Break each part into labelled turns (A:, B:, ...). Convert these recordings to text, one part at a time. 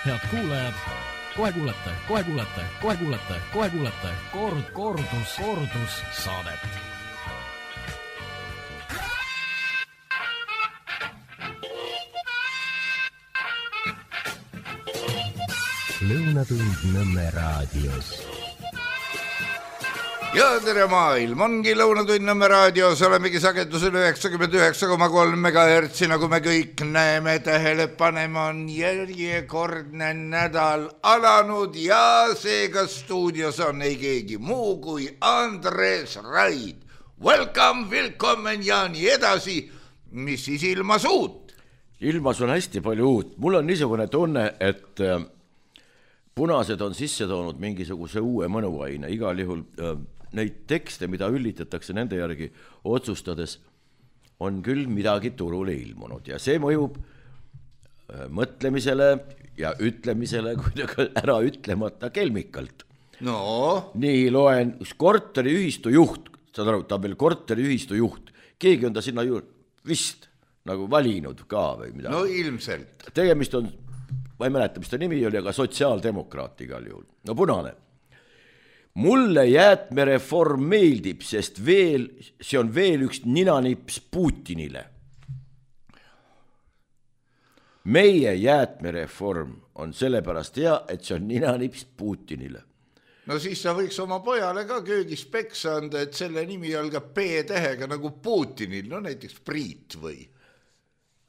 A: Head kuulajad, kohe kuulete kordus saadet.
B: Lõunatund Nõmme raadios.
C: Ja tere maailm, ongi Lõunatund Nõmme raadios, olemegi sagedusel 99,3 MHz, nagu me kõik näeme, tähele paneme, on järjekordne nädal alanud ja seega stuudios on ei keegi muu kui Andres Raid. Welcome ja nii edasi, mis siis ilmas uut?
D: Ilmas on hästi palju uut. Mul on niisugune tunne, et punased on sisse toonud mingisuguse uue mõnuaine, igal juhul neid tekste, mida üllitatakse nende järgi otsustades, on küll midagi turule ilmunud ja see mõjub mõtlemisele ja ütlemisele kuidagi ära ütlemata kelmikalt.
C: No.
D: Nii loen, korteriühistu juht, saad aru, ta on veel korteriühistu juht, keegi on ta sinna ju vist nagu valinud ka või midagi.
C: No ilmselt.
D: Tegemist on, ma ei mäleta, mis ta nimi oli, aga sotsiaaldemokraat igal juhul. No punane. Mulle jäätmereform meeldib, sest see on veel üks ninanips Putinile. Meie jäätmereform on sellepärast hea, et see on ninanips Putinile.
C: No siis sa võiks oma pojale ka köögis peksa anda, et selle nimi algab P-tähega nagu Putinil, no näiteks Priit või?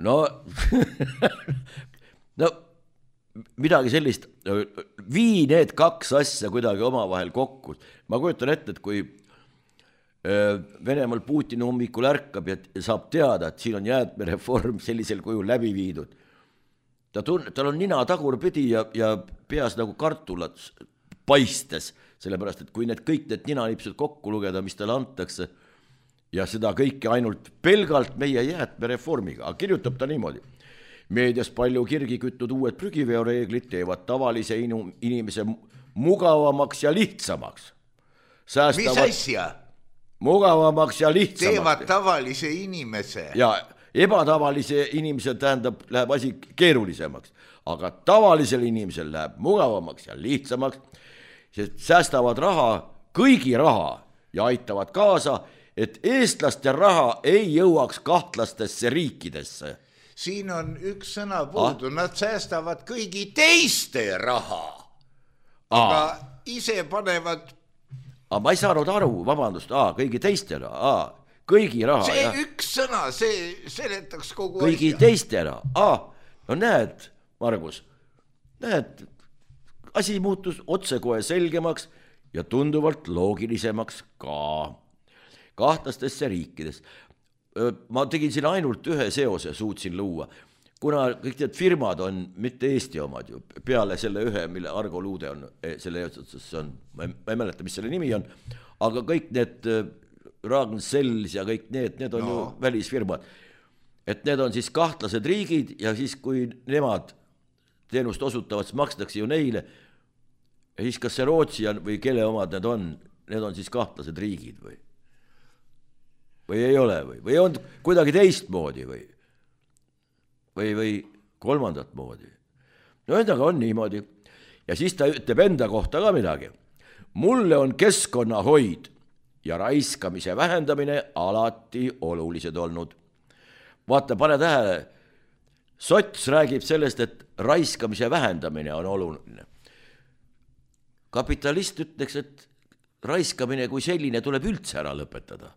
D: No, midagi sellist, vii need kaks asja kuidagi omavahel kokku. Ma kujutan ette, et kui Venemaal Putin hommikul ärkab ja saab teada, et siin on jäätmereform sellisel kujul läbi viidud. Tal on nina tagurpidi ja peas nagu kartulat paistes, sellepärast, et kui kõik need ninanipsud kokku lugeda, mis talle antakse, ja seda kõike ainult pelgalt meie jäätmereformiga, aga kirjutab ta niimoodi. Meedias palju kirgi küttud uued prügiveoreeglid teevad tavalise inimese mugavamaks ja lihtsamaks.
C: Mis asja?
D: Mugavamaks ja lihtsamaks.
C: Teevad tavalise inimese.
D: Ja ebatavalise inimesel läheb asi keerulisemaks, aga tavalisel inimesel läheb mugavamaks ja lihtsamaks, sest säästavad raha, kõigi raha ja aitavad kaasa, et eestlaste raha ei jõuaks kahtlastesse riikidesse.
C: Siin on üks sõna puudu, nad säästavad kõigi teiste raha, aga ise panevad...
D: Ma ei saanud aru, vabandust, kõigi teiste raha, kõigi raha.
C: See üks sõna, see seletaks kogu
D: kõigi asja. Teiste raha, no näed, Margus, näed, asi muutus otsekohe selgemaks ja tunduvalt loogilisemaks ka kahtlastesse riikides. Ma tegin siin ainult ühe seose, suutsin luua, kuna kõik need firmad on mitte Eesti omad ju, peale selle ühe, mille Argo Luude on, selle on, ma ei mäleta, mis selle nimi on, aga kõik need Ragn-Sells ja kõik need on ju välisfirmad, et need on siis kahtlased riigid ja siis, kui nemad teenust osutavad, siis makstakse ju neile ja siis kas see Rootsi on või kelle omad need on siis kahtlased riigid või ei ole või on kuidagi teistmoodi või kolmandat moodi. No endaga on niimoodi. Ja siis ta ütleb enda kohta ka midagi. Mulle on keskkonnahoid ja raiskamise vähendamine alati olulised olnud. Vaata, pane tähele, sots räägib sellest, et raiskamise vähendamine on oluline. Kapitalist ütleks, et raiskamine kui selline tuleb üldse ära lõpetada.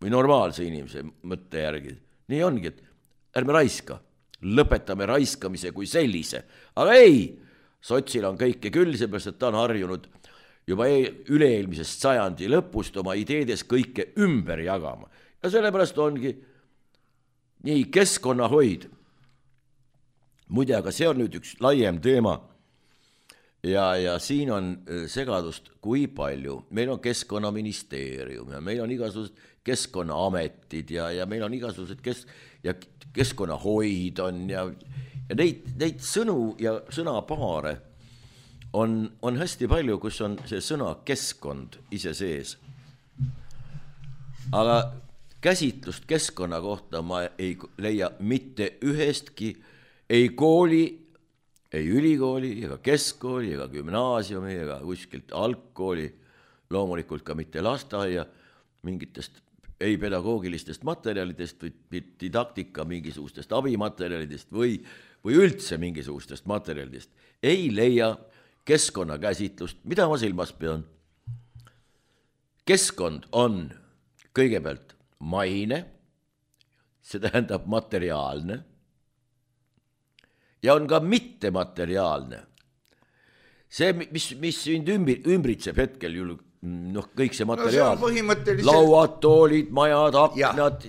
D: Või normaalse inimese mõtte järgi. Nii ongi, et ärme raiska, lõpetame raiskamise kui sellise. Aga ei, sotsil on kõike küll, seepärast, et ta on harjunud juba üle-eelmisest sajandi lõpust oma ideedes kõike ümber jagama. Ja sellepärast ongi nii keskkonnahoid. Muide, aga see on nüüd üks laiem teema. Ja siin on segadust kui palju. Meil on keskkonnaministeerium ja meil on igasugused keskkonnaametid ja meil on igasugused keskkonnahoid on ja neid sõnu ja sõnapaare on hästi palju, kus on see sõna keskkond ise sees. Aga käsitlust keskkonna kohta ma ei leia mitte ühestki ei kooli ei ülikooli, ega keskkooli, ega gümnaasiumi, ega kuskilt algkooli, loomulikult ka mitte lasteaia, mingitest ei pedagoogilistest materjalidest või didaktika mingisugustest abimaterjalidest või üldse mingisugustest materjalidest ei leia keskkonnakäsitlust. Mida ma silmas pean? Keskkond on kõigepealt maine, see tähendab materiaalne, ja on ka mittemateriaalne. See, mis sind ümbritseb hetkel ju, kõik see materiaal, lauad, toolid, majad, aknad,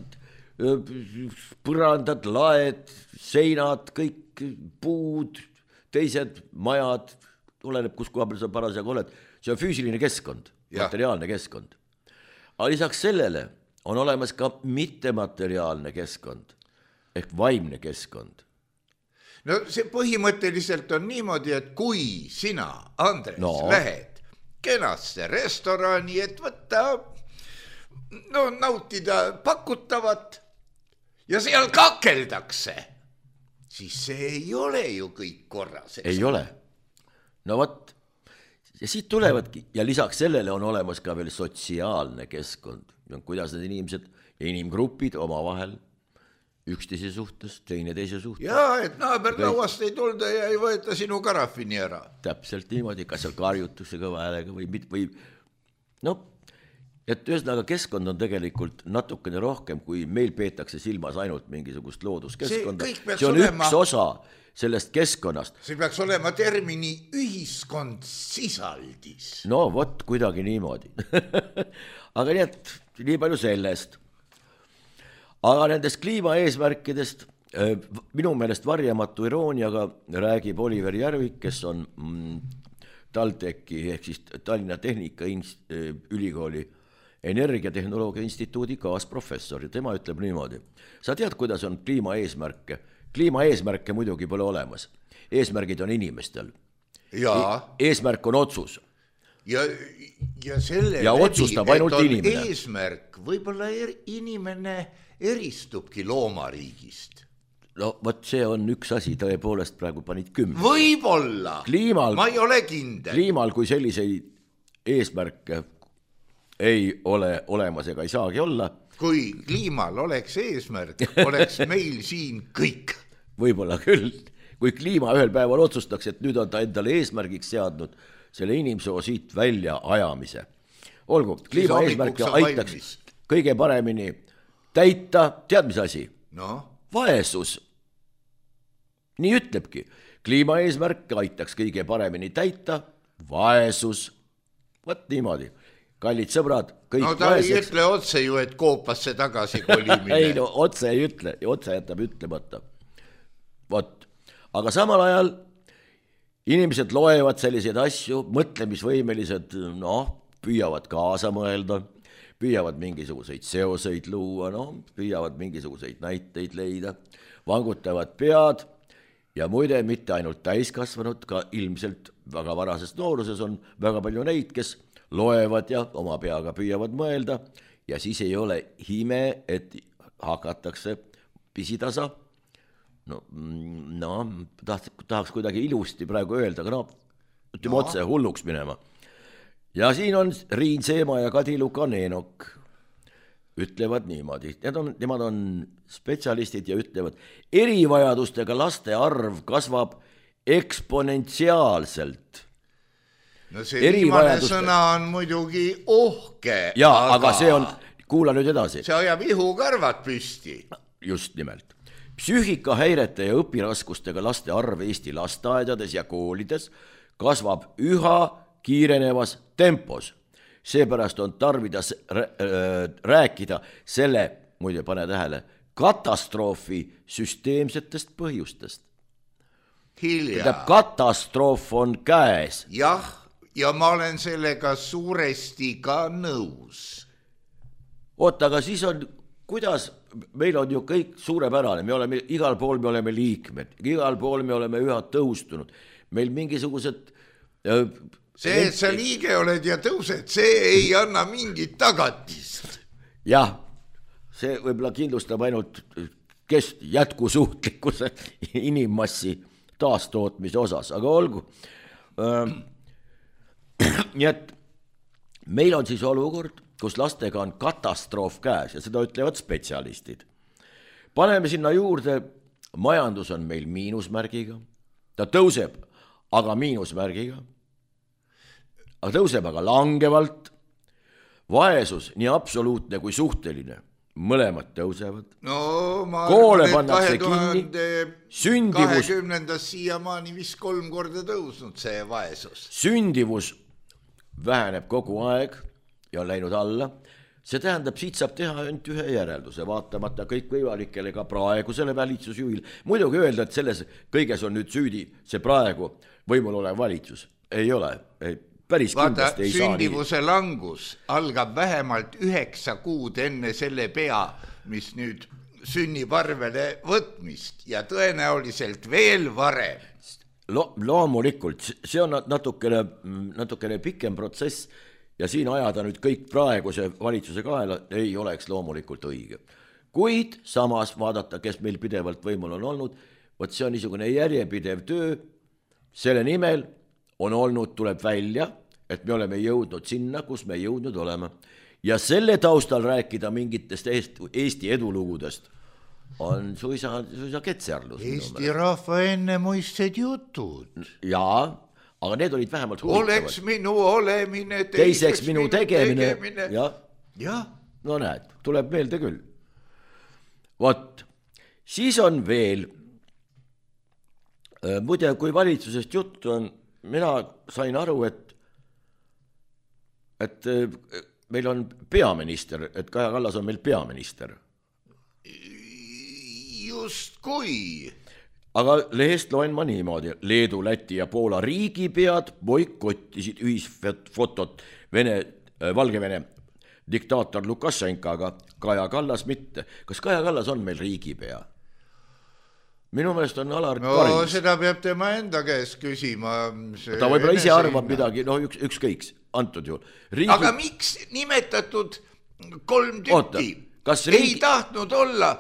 D: põrandad, laed, seinad, kõik puud, teised majad, oleneb, kus koha peal sa parasjagu oled, see on füüsiline keskkond, materiaalne keskkond. Aga lisaks sellele on olemas ka mittemateriaalne keskkond ehk vaimne keskkond.
C: No see põhimõtteliselt on niimoodi, et kui sina, Andres, lähed kenasse restorani, et võtta, nautida pakutavat ja seal kakeldakse, siis see ei ole ju kõik korras.
D: Ei ole. No võt, ja siit tulevadki ja lisaks sellele on olemas ka veel sotsiaalne keskkond, kuidas need inimesed ja inimgrupid omavahel üksteise suhtes, teine teise suhtes.
C: Jaa, et naaberlauast ei tulda ja ei võeta sinu karafini ära.
D: Täpselt niimoodi, kas seal karjutakse kõva häälega või et ühesõnaga keskkond on tegelikult natukene rohkem, kui meil peetakse silmas ainult mingisugust looduskeskkonda. See on üks osa sellest keskkonnast.
C: See peaks olema termini ühiskond sisaldis.
D: No vot, kuidagi niimoodi. Aga nii palju sellest. Aga nendest kliimaeesmärkidest minu meelest varjamatu irooniaga räägib Oliver Järvik, kes on TalTechi ehk siis Tallinna Tehnikaülikooli Energiatehnoloogia instituudi kaasprofessor ja tema ütleb niimoodi. Sa tead, kuidas on kliimaeesmärke? Kliimaeesmärke muidugi pole olemas. Eesmärgid on inimestel. Eesmärk on otsus.
C: Ja selle
D: ja otsustab ainult inimene.
C: Eesmärk, võib-olla inimene eristubki loomariigist.
D: No võt, see on üks asi, tõepoolest praegu panid 10.
C: Võib-olla, ma ei ole kindel.
D: Kliimal, kui selliseid eesmärke ei ole olemas ega ei saagi olla.
C: Kui kliimal oleks eesmärk, oleks meil siin kõik.
D: Võib-olla küll. Kui kliima ühel päeval otsustaks, et nüüd on ta endale eesmärgiks seadnud selle inimsoo siit välja ajamise. Olgu, kliima eesmärke aitaks kõige paremini täita, tead mis asi? Vaesus. Nii ütlebki. Kliima eesmärke aitaks kõige paremini täita, vaesus. Võt niimoodi. Kallid sõbrad, kõik
C: ta vaeseks. Ei ütle otse ju, et koopasse tagasi kolimine.
D: Ei, otse ei ütle, otse jätab ütlemata. Vot, aga samal ajal inimesed loevad selliseid asju, mõtlemisvõimelised, püüavad kaasa mõelda, püüavad mingisuguseid seoseid luua, püüavad mingisuguseid näiteid leida, vangutavad pead ja muide mitte ainult täiskasvanud, ka ilmselt väga varases nooruses on väga palju neid, kes loevad ja oma peaga püüavad mõelda ja siis ei ole hime, et hakatakse pisitasa. Tahaks kuidagi ilusti praegu öelda, aga ütleme otse hulluks minema. Ja siin on Riin Seema ja Kadi Lukanenok ütlevad niimoodi. Nemad on spetsialistid ja ütlevad, erivajadustega laste arv kasvab eksponentsiaalselt.
C: No see viimane sõna on muidugi ohke.
D: Jaa, aga see on, kuula nüüd edasi.
C: See ajab ihukarvad püsti.
D: Just nimelt. Psüühikahäirete ja õpiraskustega laste arv Eesti lasteaedades ja koolides kasvab üha kiirenevas tempos. Seepärast on tarvidas rääkida selle, muide pane tähele, katastroofi süsteemsetest põhjustest.
C: Hilja.
D: Katastroof on käes.
C: Jah, ja ma olen sellega suuresti ka nõus.
D: Oota, aga siis on, kuidas, meil on ju kõik suurepärane, igal pool me oleme liikmed, igal pool me oleme üha tõustunud. Meil mingisugused...
C: See, et sa liige oled ja tõused, see ei anna mingit tagatist.
D: Jah, see võib-olla kindlustab ainult jätkusuutlikkuse inimmassi taastootmise osas, aga olgu. Nii et meil on siis olukord, kus lastega on katastroof käes ja seda ütlevad spetsialistid. Paneme sinna juurde, majandus on meil miinusmärgiga, ta tõuseb, aga miinusmärgiga, aga tõuseb aga langevalt, vaesus nii absoluutne kui suhteline, mõlemad tõusevad.
C: No ma
D: koole pannakse kinni,
C: 2020. siiamaani vist 3 korda tõusnud see vaesus.
D: Sündivus väheneb kogu aeg ja on läinud alla. See tähendab, siit saab teha ainult ühe järelduse, vaatamata kõikvõimalikele ka praegusele valitsusjuhil. Muidugi öelda, et selles kõiges on nüüd süüdi see praegu võimul olev valitsus. Ei ole, päris kindlasti ei saa nii.
C: Sündivuse langus algab vähemalt 9 kuud enne selle pea, mis nüüd sünnib arvele võtmist ja tõenäoliselt veel varem.
D: Loomulikult, see on natukene pikem protsess ja siin ajada nüüd kõik praeguse valitsuse kaela ei oleks loomulikult õige. Kuid samas vaadata, kes meil pidevalt võimul on olnud, võt see on niisugune järjepidev töö, selle nimel on olnud, tuleb välja, et me oleme jõudnud sinna, kus me jõudnud oleme. Ja selle taustal rääkida mingitest Eesti edulugudest on suisa ketserlus.
C: Eesti rahva ennemuistsed jutud.
D: Jaa, aga need olid vähemalt huvitavad.
C: Oleks minu olemine,
D: teiseks minu tegemine.
C: Ja.
D: No näed, tuleb meelde küll. Vot, siis on veel, muide, kui valitsusest juttu on, mina sain aru, et meil on peaminister, et Kaja Kallas on meil peaminister.
C: Just kui.
D: Aga lehest loen ma niimoodi, Leedu, Läti ja Poola riigipead boikottisid ühisfotot Valgevene diktaator Lukašenkaga, Kaja Kallas mitte. Kas Kaja Kallas on meil riigipea? Minu meelest on Alar Karis.
C: Seda peab tema enda käest küsima.
D: Ta võib-olla ise arvab midagi, ükskõiks, antud juhul.
C: Aga miks nimetatud 3 tükki ei tahtnud olla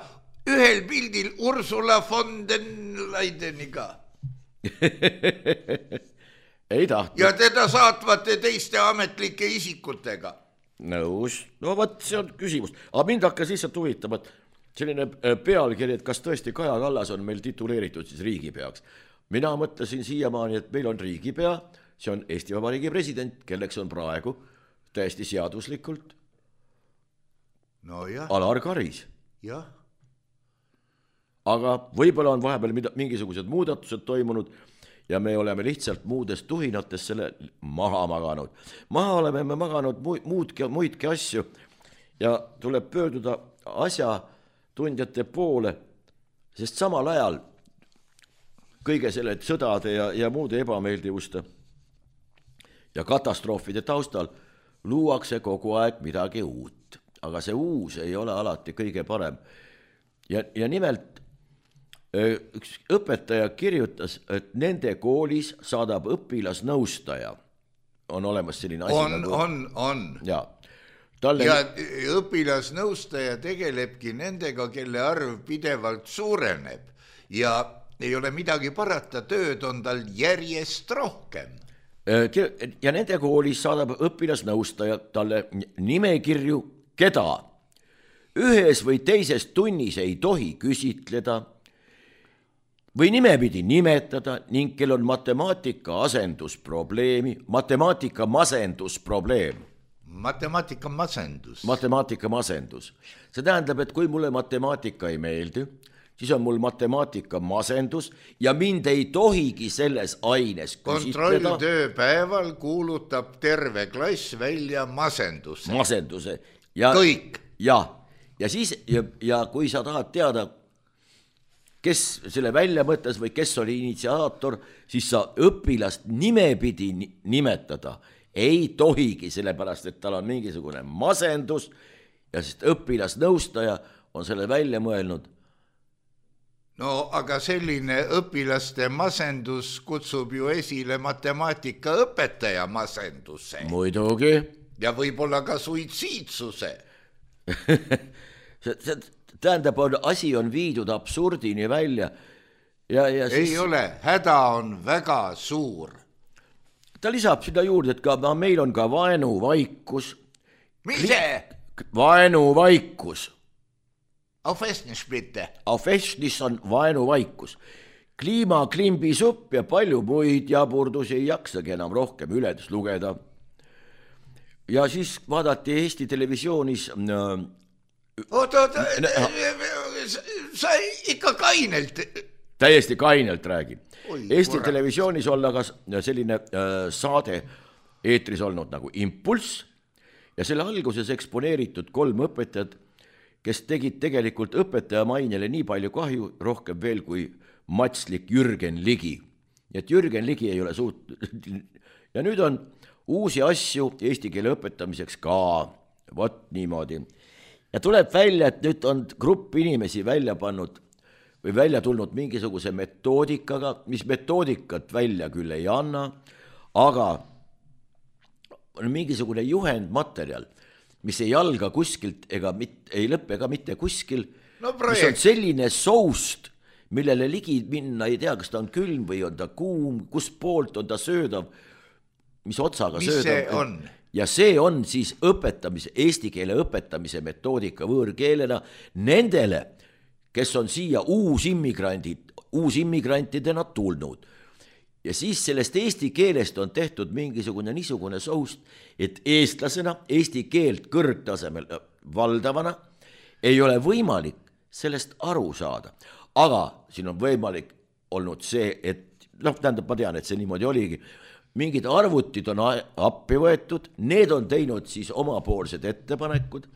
C: ühel pildil Ursula von den Leideniga?
D: Ei tahtnud.
C: Ja teda saatvate teiste ametlike isikutega.
D: Nõus. No võt, see on küsimus. Aga mind hakkas lihtsalt huvitama, et selline pealkiri, et kas tõesti Kaja Kallas on meil tituleeritud siis riigipeaks. Mina mõtlesin siiamaani, et meil on riigipea, see on Eesti Vabariigi president, kelleks on praegu täiesti seaduslikult Alar Karis.
C: Jah.
D: Aga võib-olla on vahepeal mingisugused muudatused toimunud ja me oleme lihtsalt muudest tuhinates selle maha maganud. Maha oleme me maganud muidki asju ja tuleb pöörduda asjatundjate poole, sest samal ajal kõige selle sõdade ja muude ebameeldivuste ja katastroofide taustal luuakse kogu aeg midagi uut. Aga see uus ei ole alati kõige parem. Ja nimelt üks õpetaja kirjutas, et nende koolis saadab õpilasnõustaja. On olemas selline asi.
C: On.
D: Ja
C: õpilasnõustaja tegelebki nendega, kelle arv pidevalt suureneb ja ei ole midagi parata, tööd on tal järjest rohkem.
D: Ja nende koolis saadab õpilasnõustaja talle nimekirju, keda ühes või teises tunnis ei tohi küsitleda või nimepidi nimetada ning kel on matemaatika masendus. See tähendab, et kui mulle matemaatika ei meeldi, siis on mul matemaatika masendus ja mind ei tohigi selles aines küsitleda.
C: Kontrolltööpäeval kuulutab terve klass välja masenduse.
D: Kõik. Ja siis, ja kui sa tahad teada, kes selle välja mõtles või kes oli initsiaator, siis sa õpilast nimepidi nimetada ei tohigi, sellepärast, et tal on mingisugune masendus ja sest õpilasnõustaja on selle välja mõelnud.
C: No aga selline õpilaste masendus kutsub ju esile matemaatikaõpetaja masenduse.
D: Muidugi.
C: Ja võib-olla ka suitsiidsuse.
D: See tähendab, asi on viidud absurdini välja ja
C: siis... ei ole, häda on väga suur.
D: Ta lisab sinna juurde, et ka meil on ka vaenuvaikus.
C: Mis see?
D: Vaenuvaikus.
C: Auf Estnisch bitte.
D: Auf Estnisch on vaenuvaikus. Kliimaklimbisupp ja palju muid jaburdusi ei jaksagi enam rohkem üles lugeda. Ja siis vaadati Eesti televisioonis...
C: Oota, sa ikka kainelt...
D: Täiesti kainelt räägin. Eesti televisioonis olla ka selline saade eetris olnud nagu Impulss ja selle alguses eksponeeritud 3 õpetajat, kes tegid tegelikult õpetaja mainele nii palju kahju, rohkem veel kui matslik Jürgen Ligi. Et Jürgen Ligi ei ole ja nüüd on uusi asju eesti keele õpetamiseks ka, vot niimoodi. Ja tuleb välja, et nüüd on grupp inimesi välja pannud või välja tulnud mingisuguse metoodikaga, mis metoodikat välja küll ei anna, aga on mingisugune juhendmaterjal, mis ei alga kuskilt ega ei lõppe ka mitte kuskil, mis on selline soust, millele ligi minna ei tea, kas ta on külm või on ta kuum, kus poolt on ta söödav, mis otsaga
C: mis
D: söödav.
C: See on?
D: Ja see on siis õpetamise, eesti keele õpetamise metoodika võõrkeelena nendele, kes on siia uusimmigrantidena tulnud. Ja siis sellest eesti keelest on tehtud mingisugune niisugune soust, et eestlasena eesti keelt kõrgtasemel valdavana ei ole võimalik sellest aru saada. Aga siin on võimalik olnud see, et tähendab, ma tean, et see niimoodi oligi, mingid arvutid on appi võetud, need on teinud siis omapoolsed ettepanekud,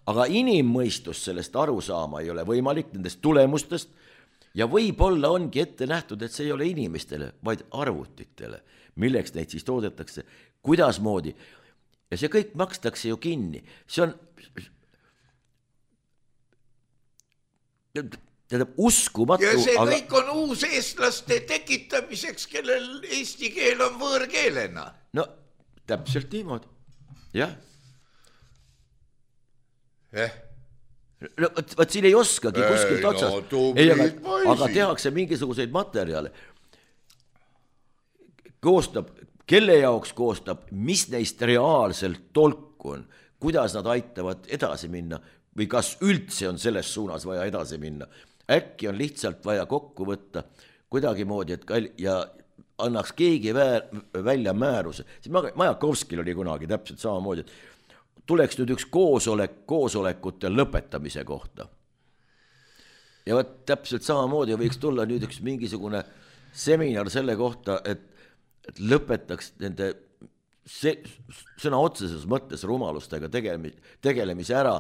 D: aga inimmõistus sellest aru saama ei ole võimalik nendest tulemustest ja võib-olla ongi ette nähtud, et see ei ole inimestele, vaid arvutitele, milleks neid siis toodetakse, kuidasmoodi. Ja see kõik makstakse ju kinni. See on uskumatu.
C: Ja see kõik on uus eestlaste tekitamiseks, kellel eesti keel on võõrkeelena.
D: No täpselt niimoodi, jah. No, võt siin ei oskagi kuskilt otsast, aga tehakse mingisuguseid materjale, koostab, kelle jaoks koostab, mis neist reaalselt tolku on, kuidas nad aitavad edasi minna või kas üldse on selles suunas vaja edasi minna. Äkki on lihtsalt vaja kokku võtta kuidagimoodi, ja annaks keegi välja määruse. Majakovskil oli kunagi täpselt samamoodi, et tuleks nüüd üks koosolekute lõpetamise kohta. Ja võt täpselt samamoodi võiks tulla nüüd üks mingisugune seminar selle kohta, et lõpetaks nende sõna otseses mõttes rumalustega tegelemise ära,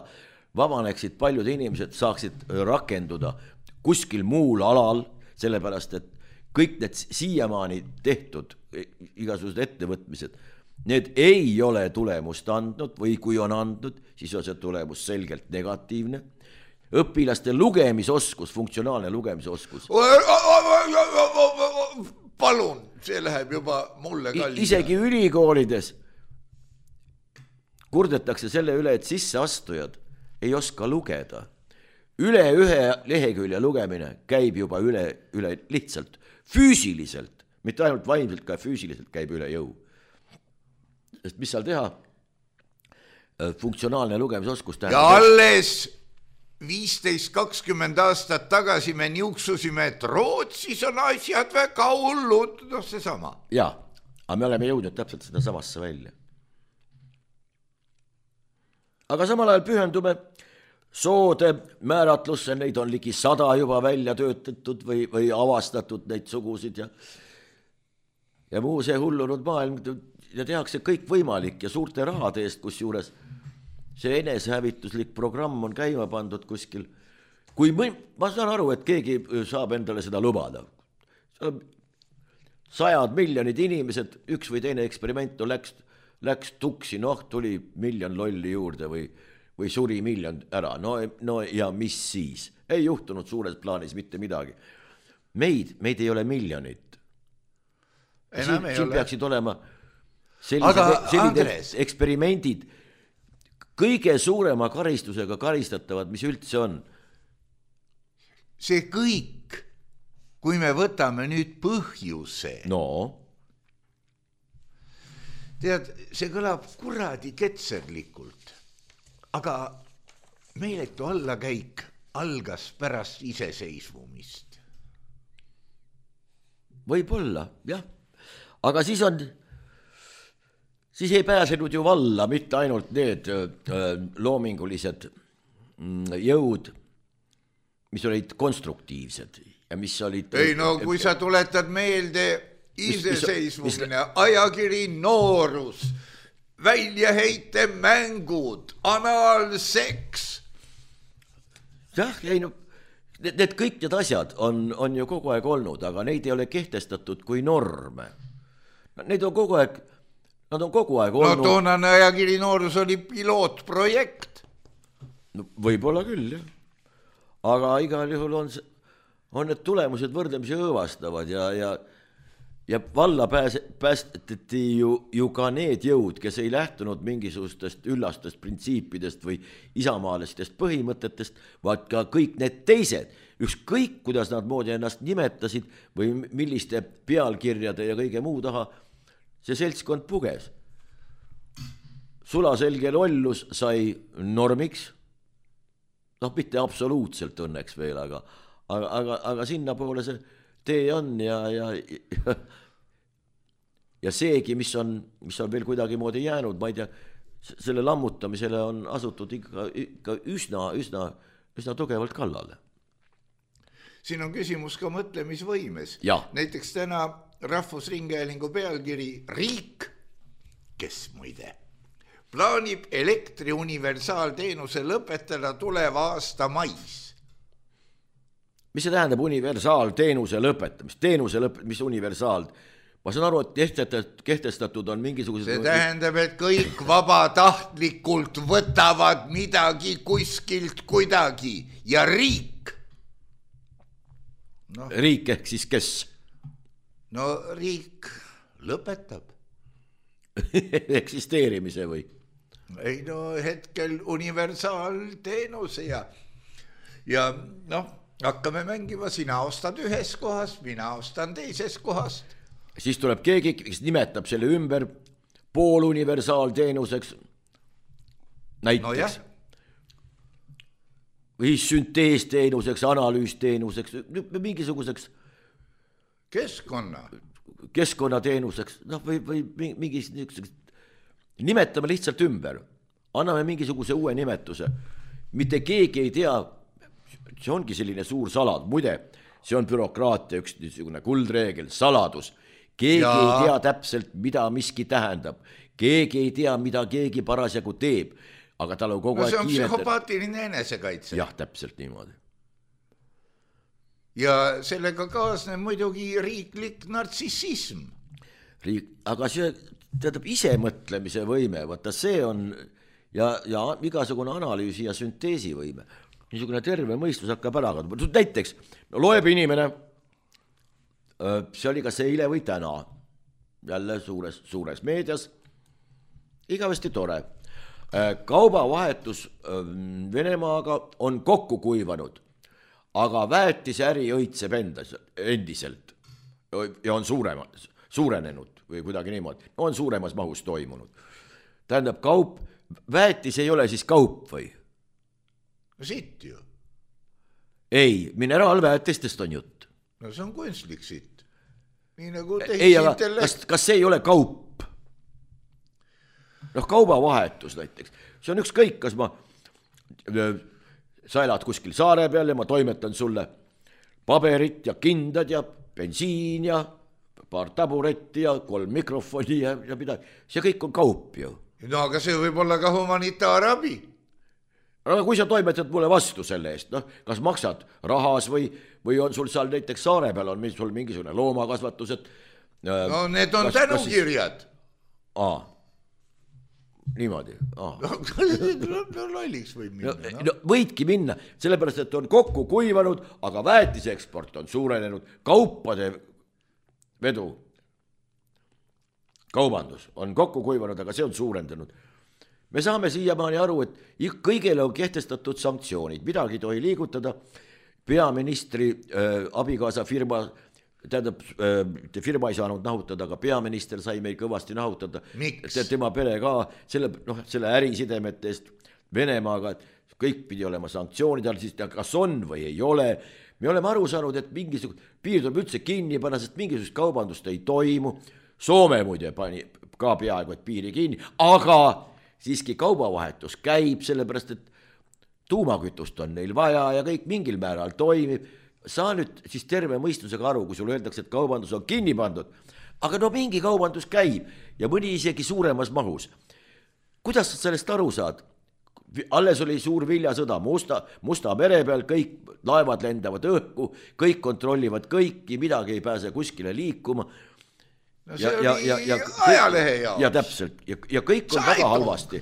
D: vabaneksid paljud inimesed, saaksid rakenduda kuskil muul alal, sellepärast et kõik need siiamaani tehtud igasugused ettevõtmised, need ei ole tulemust andnud või kui on andnud, siis on see tulemus selgelt negatiivne. Õpilaste lugemisoskus, funktsionaalne lugemisoskus.
C: Palun, see läheb juba mulle kalli.
D: Isegi ülikoolides kurdetakse selle üle, et sisseastujad ei oska lugeda. Üle 1 lehekülje lugemine käib juba üle lihtsalt füüsiliselt, mitte ainult vaimselt, ka füüsiliselt käib üle jõu. Sest mis seal teha? Funktsionaalne lugemisoskus tähendab.
C: Ja alles 15-20 aastat tagasi me niuksusime, et Rootsis on asjad väga hullud, see sama.
D: Jaa, aga me oleme jõudnud täpselt seda samasse välja. Aga samal ajal pühendume soode määratlusse, neid on ligi 100 juba välja töötatud või avastatud neid sugusid ja muu see hullunud maailm ja tehakse kõik võimalik ja suurte rahade eest, kus juures see enesehävituslik programm on käima pandud kuskil. Ma saan aru, et keegi saab endale seda lubada. 100 miljonid inimesed, üks või teine eksperiment läks tuksi, tuli 1 miljon lolli juurde või suri 1 miljon ära. No ja mis siis? Ei juhtunud suures plaanis mitte midagi. Meid ei ole miljonit. Siin peaksid olema sellised eksperimendid kõige suurema karistusega karistatavad, mis üldse on.
C: See kõik kui me võtame nüüd põhjuse.
D: no
C: tead, see kõlab kuradi ketserlikult, aga meeletu allakäik algas pärast iseseisvumist.
D: võib-olla, jah. Aga siis ei pääsenud ju valla mitte ainult need loomingulised jõud, mis olid konstruktiivsed ja mis olid...
C: Ei no, kui sa tuletad meelde iseseisvumine, ajakiri Noorus, väljaheite mängud, analseks.
D: Jah, ei no, need kõik need asjad on ju kogu aeg olnud, aga neid ei ole kehtestatud kui norme. Need on kogu aeg, nad on kogu aeg olnud...
C: No toonane ajakiri Noorus oli pilootprojekt.
D: No, võib-olla küll, jah. Aga igal juhul on need tulemused võrdlemisi õõvastavad ja valla päästeti ju ka need jõud, kes ei lähtunud mingisugustest üllastest printsiipidest või isamaalistest põhimõtetest, vaid ka kõik need teised, ükskõik kuidas nad moodi ennast nimetasid või milliste pealkirjade ja kõige muu taha, see seltskond puges. Sulaselge lollus sai normiks, noh, mitte absoluutselt õnneks veel, aga sinna poole see tee on ja seegi, mis on veel kuidagi moodi jäänud, ma ei tea, selle lammutamisele on asutud ikka üsna tugevalt kallale.
C: Siin on küsimus ka mõtlemisvõimes.
D: Ja.
C: Näiteks täna Rahvusringhäälingu pealkiri Riik, kes muide plaanib elektri universaalteenuse lõpetada tuleva aasta mais.
D: Mis see tähendab universaalteenuse lõpetamist? Mis universaal? Ma saan aru, et kehtestatud on mingisugused...
C: See tähendab, et kõik vabatahtlikult võtavad midagi kuskilt kuidagi ja riik.
D: No. Riik ehk siis kes?
C: No riik lõpetab.
D: Eksisteerimise või?
C: Ei no hetkel universaalteenuse ja noh, hakkame mängima, sina ostad ühes kohas, mina ostan teises kohast.
D: Siis tuleb keegi, kes nimetab selle ümber pooluniversaalteenuseks näiteks. No või sünteesteenuseks, analüüsteenuseks, mingisuguseks keskkonnateenuseks, noh või mingis nimetame lihtsalt ümber, anname mingisuguse uue nimetuse, mitte keegi ei tea, see ongi selline suur salad, muide, see on bürokraatia üks niisugune kuldreegel, saladus, keegi ei tea täpselt, mida miski tähendab, keegi ei tea, mida keegi parasjagu teeb, aga tal on kogu aeg
C: kiiretab. See on psühhopaatiline enesekaitse.
D: Jah, täpselt niimoodi.
C: Ja sellega kaasneb muidugi riiklik nartsissism.
D: Aga see teadab isemõtlemise võime, vaata see on ja igasugune analüüsi ja sünteesi võime. Niisugune terve mõistus hakkab ära kaduma. Näiteks loeb inimene, see oli kas eile või täna, jälle suures meedias, igavesti tore. Kaubavahetus Venemaaga on kokku kuivanud, aga väetise äri õitseb endiselt ja on suurenenud või kuidagi niimoodi, on suuremas mahus toimunud. Tähendab, väetis ei ole siis kaup või?
C: Sitt ju.
D: Ei, mineraalväetistest on jutt.
C: No see on kunstlik sitt. Nii nagu
D: ei, aga kas see ei ole kaup? Noh, kaubavahetus näiteks. See on ükskõik, kas sa elad kuskil saare peal ja ma toimetan sulle paberit ja kindad ja bensiin ja paar taburetti ja 3 mikrofoni ja midagi. See kõik on kaup ju.
C: No aga see võib olla ka humanitaarabi.
D: Aga kui sa toimetad mulle vastu selle eest, noh, kas maksad rahas või on sul seal näiteks saare peal on sul mingisugune loomakasvatused?
C: No need on tänukirjad.
D: Niimoodi.
C: Lolliks võib minna.
D: No, võidki minna, sellepärast, et on kokku kuivanud, aga väetise eksport on suurenenud, kaupade vedu, kaubandus on kokku kuivanud, aga see on suurendanud. Me saame siiamaani aru, et kõigele on kehtestatud sanktsioonid, midagi ei tohi liigutada, peaministri abikaasa firma, tähendab, firma ei saanud nahutada, aga peaminister sai meil kõvasti nahutada. Tema pere ka selle ärisidemete eest Venemaaga, et kõik pidi olema sanktsioonid all, siis kas on või ei ole. Me oleme aru saanud, et mingisugune piir tuleb üldse kinni panna, sest mingisugust kaubandust ei toimu. Soome muide pani ka peaaegu, et piiri kinni, aga siiski kaubavahetus käib, sellepärast, et tuumakütust on neil vaja ja kõik mingil määral toimib. Saa nüüd siis terve mõistusega aru, kui sulle öeldakse, et kaubandus on kinni pandud, aga no mingi kaubandus käib ja mõni isegi suuremas mahus. Kuidas sa sellest aru saad? Alles oli suur viljasõda Musta mere peal, kõik laevad lendavad õhku, kõik kontrollivad kõiki, midagi ei pääse kuskile liikuma.
C: No see oli ajalehe jaoks.
D: Ja täpselt, ja kõik on väga halvasti.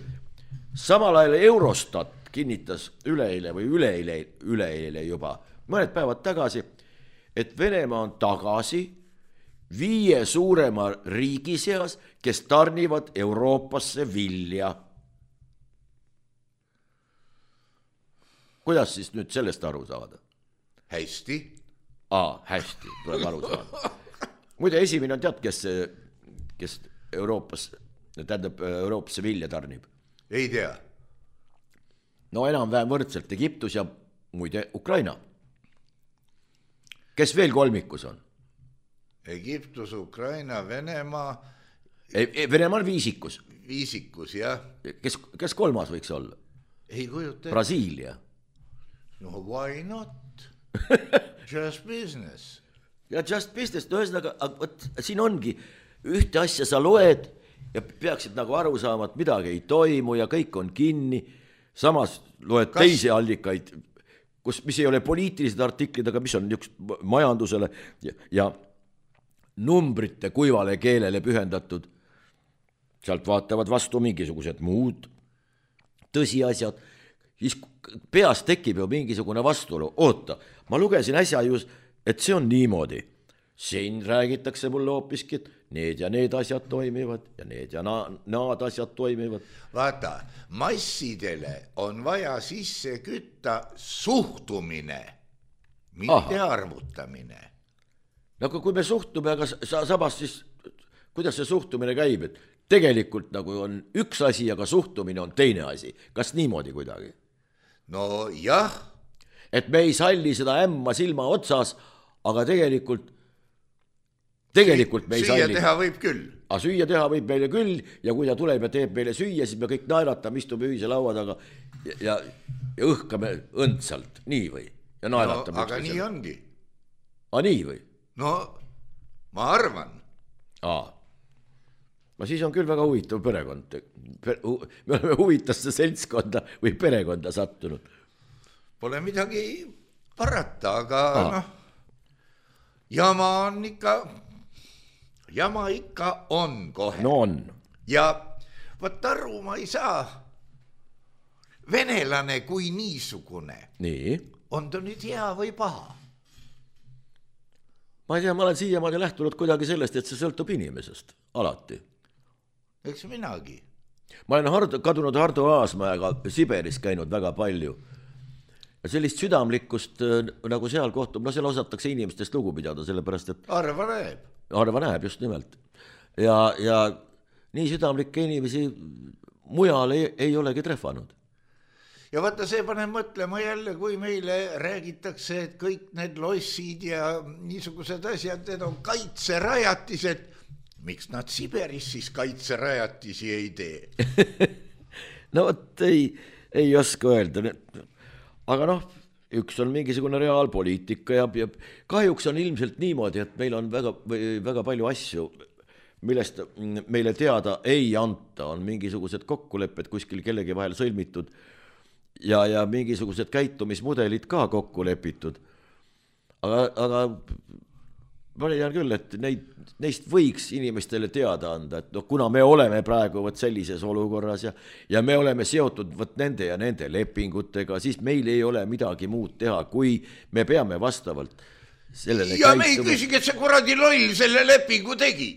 D: Samal ajal Eurostat kinnitas üleeile või üleeile juba, mõned päevad tagasi, et Venemaa on tagasi 5 suurema riigi seas, kes tarnivad Euroopasse vilja. Kuidas siis nüüd sellest aru saada?
C: Hästi.
D: Hästi, tuleb aru saada. Muide, esimene on tead, kes Euroopasse vilja tarnib?
C: Ei tea.
D: No enam-vähem võrdselt Egiptus ja muide Ukraina. Kes veel kolmikus on?
C: Egiptus, Ukraina, Venemaa.
D: Venemaa on viisikus.
C: Viisikus, jah.
D: Kes kolmas võiks olla?
C: Ei kujuta.
D: Brasiilia.
C: No why not? Just business.
D: Ja just business, no ühesõnaga, siin ongi ühte asja sa loed ja peaksid nagu aru saama, et midagi ei toimu ja kõik on kinni. Samas loed teisi allikaid, mis ei ole poliitilised artiklid, aga mis on üks majandusele ja numbrite kuivale keelele pühendatud. Sealt vaatavad vastu mingisugused muud tõsiasjad. Siis peas tekib ju mingisugune vastuolu. Oota, ma lugesin äsja just, et see on niimoodi. Siin räägitakse mulle hoopiski, et need ja need asjad toimivad ja need ja naad asjad toimivad.
C: Vaata, massidele on vaja sisse kütta suhtumine, mitte arvutamine.
D: No kui me suhtume, aga sabas siis, kuidas see suhtumine käib, et tegelikult nagu on üks asi, aga suhtumine on teine asi. Kas niimoodi kuidagi?
C: No jah.
D: Et me ei salli seda ämma silma otsas, aga tegelikult me ei salli.
C: Süüa teha võib küll.
D: Süüa teha võib meile küll ja kui ta tuleb ja teeb meile süüa, siis me kõik naeratame, istume ühise laua taga ja õhkame õndsalt. Nii või? Ja naeratame.
C: No, aga nii ongi.
D: Nii või?
C: No, ma arvan.
D: Ma siis on küll väga huvitav perekond. Me oleme huvitasse seltskonda või perekonda sattunud.
C: Pole midagi parata, aga jama ikka on kohe.
D: No on.
C: Ja võt aru ma ei saa. Venelane kui niisugune.
D: Nii.
C: On ta nüüd hea või paha?
D: Ma ei tea, ma olen siiamaani lähtunud kuidagi sellest, et see sõltub inimesest. Alati.
C: Eks minagi.
D: Ma olen kadunud Hardo Aasmäega Siberis käinud väga palju. Ja sellist südamlikkust nagu seal kohtub, seal osatakse inimestest lugu pidada, sellepärast, et Arva näeb, just nimelt. Ja nii südamlikke inimesi mujal ei olegi trehvanud.
C: Ja vaata, see paneb mõtlema jälle, kui meile räägitakse, et kõik need lossid ja niisugused asjad, need on kaitserajatised. Miks nad Siberis siis kaitserajatisi ei tee?
D: No võt ei oska öelda. Aga üks on mingisugune reaalpoliitika ja kahjuks on ilmselt niimoodi, et meil on väga palju asju, millest meile teada ei anta. On mingisugused kokkulepped kuskil kellegi vahel sõlmitud ja mingisugused käitumismudelid ka kokku lepitud. Aga ma leian küll, et neist võiks inimestele teada anda, et kuna me oleme praegu sellises olukorras ja me oleme seotud nende ja nende lepingutega, siis meil ei ole midagi muud teha, kui me peame vastavalt sellele
C: ja me ei küsigi, et see kuradi loll selle lepingu tegi.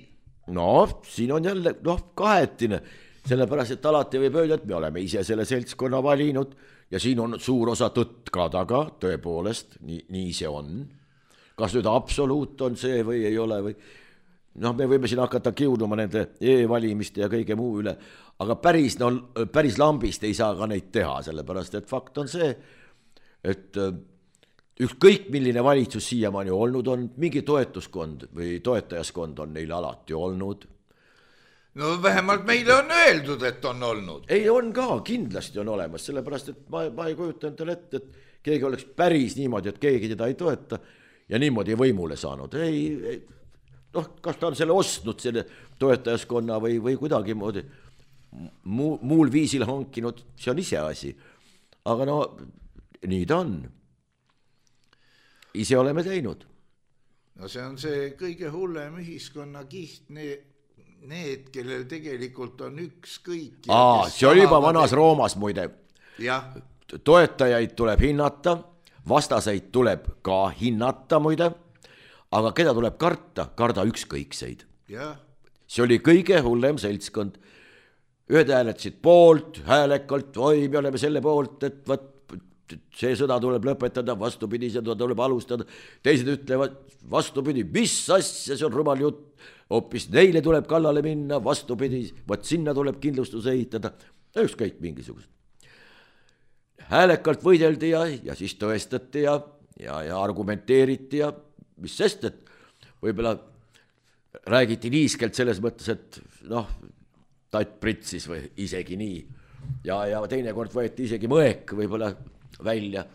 D: Siin on jälle kahetine, sellepärast, et alati võib öelda, et me oleme ise selle seltskonna valinud, ja siin on suur osa tõtt ka taga, tõepoolest, nii see on. Kas nüüd absoluut on see või ei ole või noh, me võime siin hakata kiuduma nende e-valimiste ja kõige muu üle, aga päris lambist ei saa ka neid teha, sellepärast et fakt on see, et ükskõik milline valitsus siiamaani olnud on, mingi toetuskond või toetajaskond on neil alati olnud.
C: No vähemalt meile on öeldud, et on olnud.
D: Ei, on ka, kindlasti on olemas, sellepärast et ma ei kujuta endale ette, et keegi oleks päris niimoodi, et keegi teda ei toeta ja niimoodi võimule saanud. Ei, noh, kas ta on selle ostnud, selle toetajaskonna või kuidagi moodi muul viisil hankinud, see on ise asi. Aga no, nii ta on. Ise oleme teinud.
C: No see on see kõige hullem ühiskonna kiht, need, kellel tegelikult on ükskõik.
D: See oli juba vanas Roomas muide.
C: Jah.
D: Toetajaid tuleb hinnata, vastaseid tuleb ka hinnata muide, aga keda tuleb karda ükskõikseid.
C: Jah.
D: See oli kõige hullem seltskond. Ühed hääletasid poolt, häälekalt, oi, me oleme selle poolt, et see sõda tuleb lõpetada, vastupidi, seda tuleb alustada. Teised ütlevad vastupidi, mis asja, see on rumal jutt, hoopis neile tuleb kallale minna, vastupidi, võt sinna tuleb kindlustus ehitada, ükskõik mingisugust. Häälekalt võideldi ja siis tõestati ja argumenteeriti ja mis sest, et võib-olla räägiti niiskelt selles mõttes, et noh, tatt pritsis või isegi nii ja teinekord võeti isegi mõek võib-olla välja,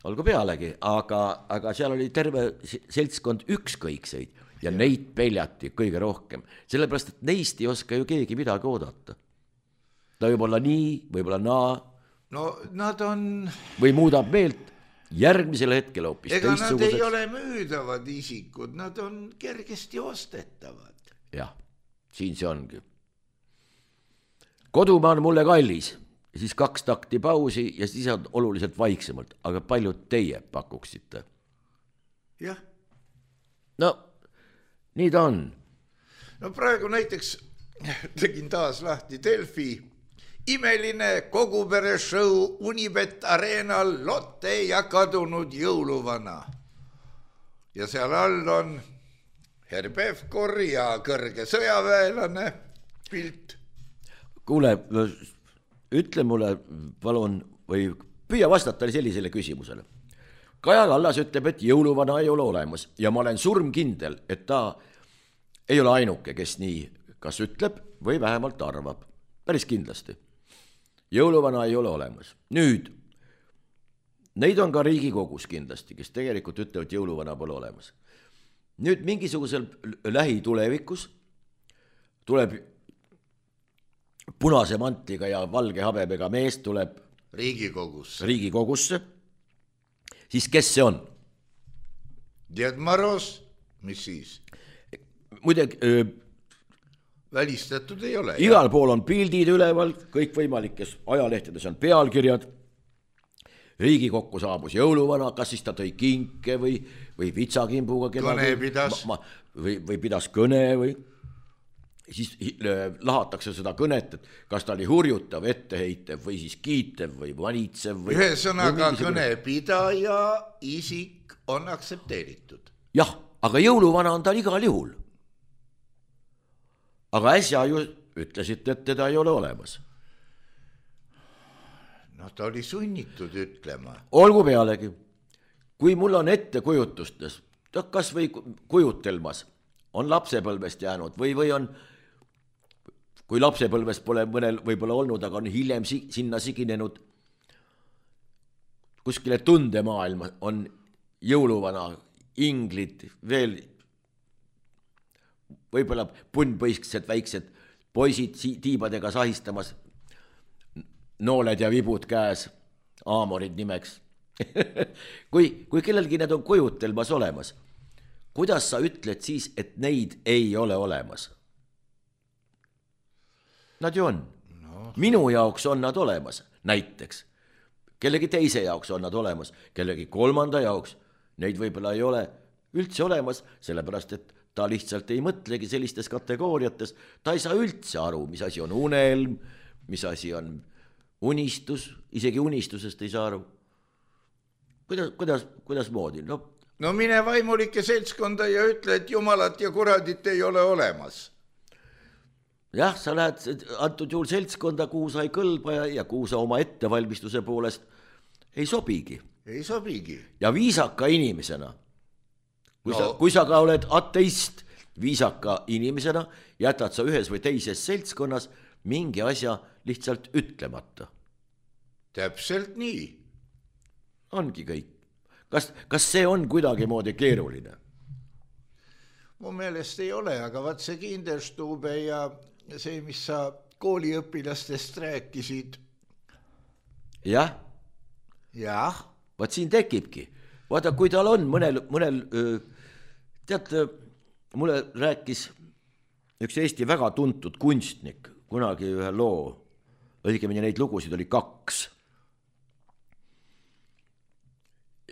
D: olgu pealegi, aga seal oli terve seltskond ükskõikseid ja neid peljati kõige rohkem, sellepärast, et neist ei oska ju keegi midagi oodata. Ta võib olla nii, võib-olla naa.
C: No nad on...
D: Või muudab meelt järgmisel hetkel hoopis teistsuguseks.
C: Ega nad ei ole müüdavad isikud, nad on kergesti ostetavad.
D: Jah, siin see ongi. Kodumaa on mulle kallis. Siis 2 takti pausi ja siis on oluliselt vaiksemalt, aga paljud teie pakuksite?
C: Jah.
D: No, nii ta on.
C: No praegu näiteks tegin taas lahti Delfi. Imeline kogupere show Unibet Arenal Lotte ja kadunud jõuluvana. Ja seal all on Herr Pevkur ja kõrge sõjaväelane pilt.
D: Kuule, ütle mulle, palun, või püüa vastata sellisele küsimusele. Kaja Kallas ütleb, et jõuluvana ei ole olemas ja ma olen surmkindel, et ta ei ole ainuke, kes nii kas ütleb või vähemalt arvab. Päris kindlasti. Jõuluvana ei ole olemas. Nüüd, neid on ka Riigikogus kindlasti, kes tegelikult ütlevad, et jõuluvana pole olemas. Nüüd mingisugusel lähitulevikus tuleb punase mantliga ja valge habemega mees tuleb Riigikogusse. Siis kes see on?
C: Ded Maros, mis siis?
D: Muide,
C: välistatud ei ole.
D: Igal pool on pildid üleval, kõik võimalikes ajalehtedes on pealkirjad. Riigikokku saabus jõuluvana, kas siis ta tõi kinke või vitsakimbuga
C: kõne pidas.
D: Või pidas kõne või siis lahatakse seda kõnet, et kas ta oli hurjutav, etteheitev või siis kiitev või vanitsev.
C: Ühesõnaga kõnepidaja isik on aktsepteeritud.
D: Jah, aga jõuluvana on tal igal juhul. Aga äsja ju ütlesite, et teda ei ole olemas.
C: No ta oli sunnitud ütlema.
D: Olgu pealegi, kui mul on ettekujutustes, kas või kujutelmas, on lapsepõlvest jäänud või on, kui lapsepõlvest pole mõnel võib-olla olnud, aga on hiljem sinna siginenud kuskile tundemaailma, on jõuluvana, inglid, veel võib-olla punnpõisksed väiksed poisid tiibadega sahistamas, nooled ja vibud käes, aamorid nimeks. kui kellelgi need on kujutelmas olemas, kuidas sa ütled siis, et neid ei ole olemas? Nad ju on. No. Minu jaoks on nad olemas, näiteks. Kellegi teise jaoks on nad olemas, kellegi kolmanda jaoks. Neid võib-olla ei ole üldse olemas, sellepärast et ta lihtsalt ei mõtlegi sellistes kategooriates. Ta ei saa üldse aru, mis asi on unelm, mis asi on unistus, isegi unistusest ei saa aru. Kuidas moodi?
C: No mine vaimulike seltskonda ja ütle, et jumalat ja kuradit ei ole olemas.
D: Jah, sa lähed antud juhul seltskonda, kuhu sa ei kõlba ja kuhu sa oma ettevalmistuse poolest ei sobigi.
C: Ei sobigi.
D: Ja viisaka inimesena, kui sa ka oled ateist, viisaka inimesena jätad sa ühes või teises seltskonnas mingi asja lihtsalt ütlemata.
C: Täpselt nii.
D: Ongi kõik. Kas see on kuidagi moodi keeruline?
C: Mu meelest ei ole, aga vaat see Kinderstube ja see, mis sa kooliõpilastest rääkisid.
D: Jah.
C: Jah.
D: Vaat siin tekibki. Vaata, kui tal on mõnel tead, mulle rääkis üks Eesti väga tuntud kunstnik, kunagi ühe loo, õigemini neid lugusid oli 2.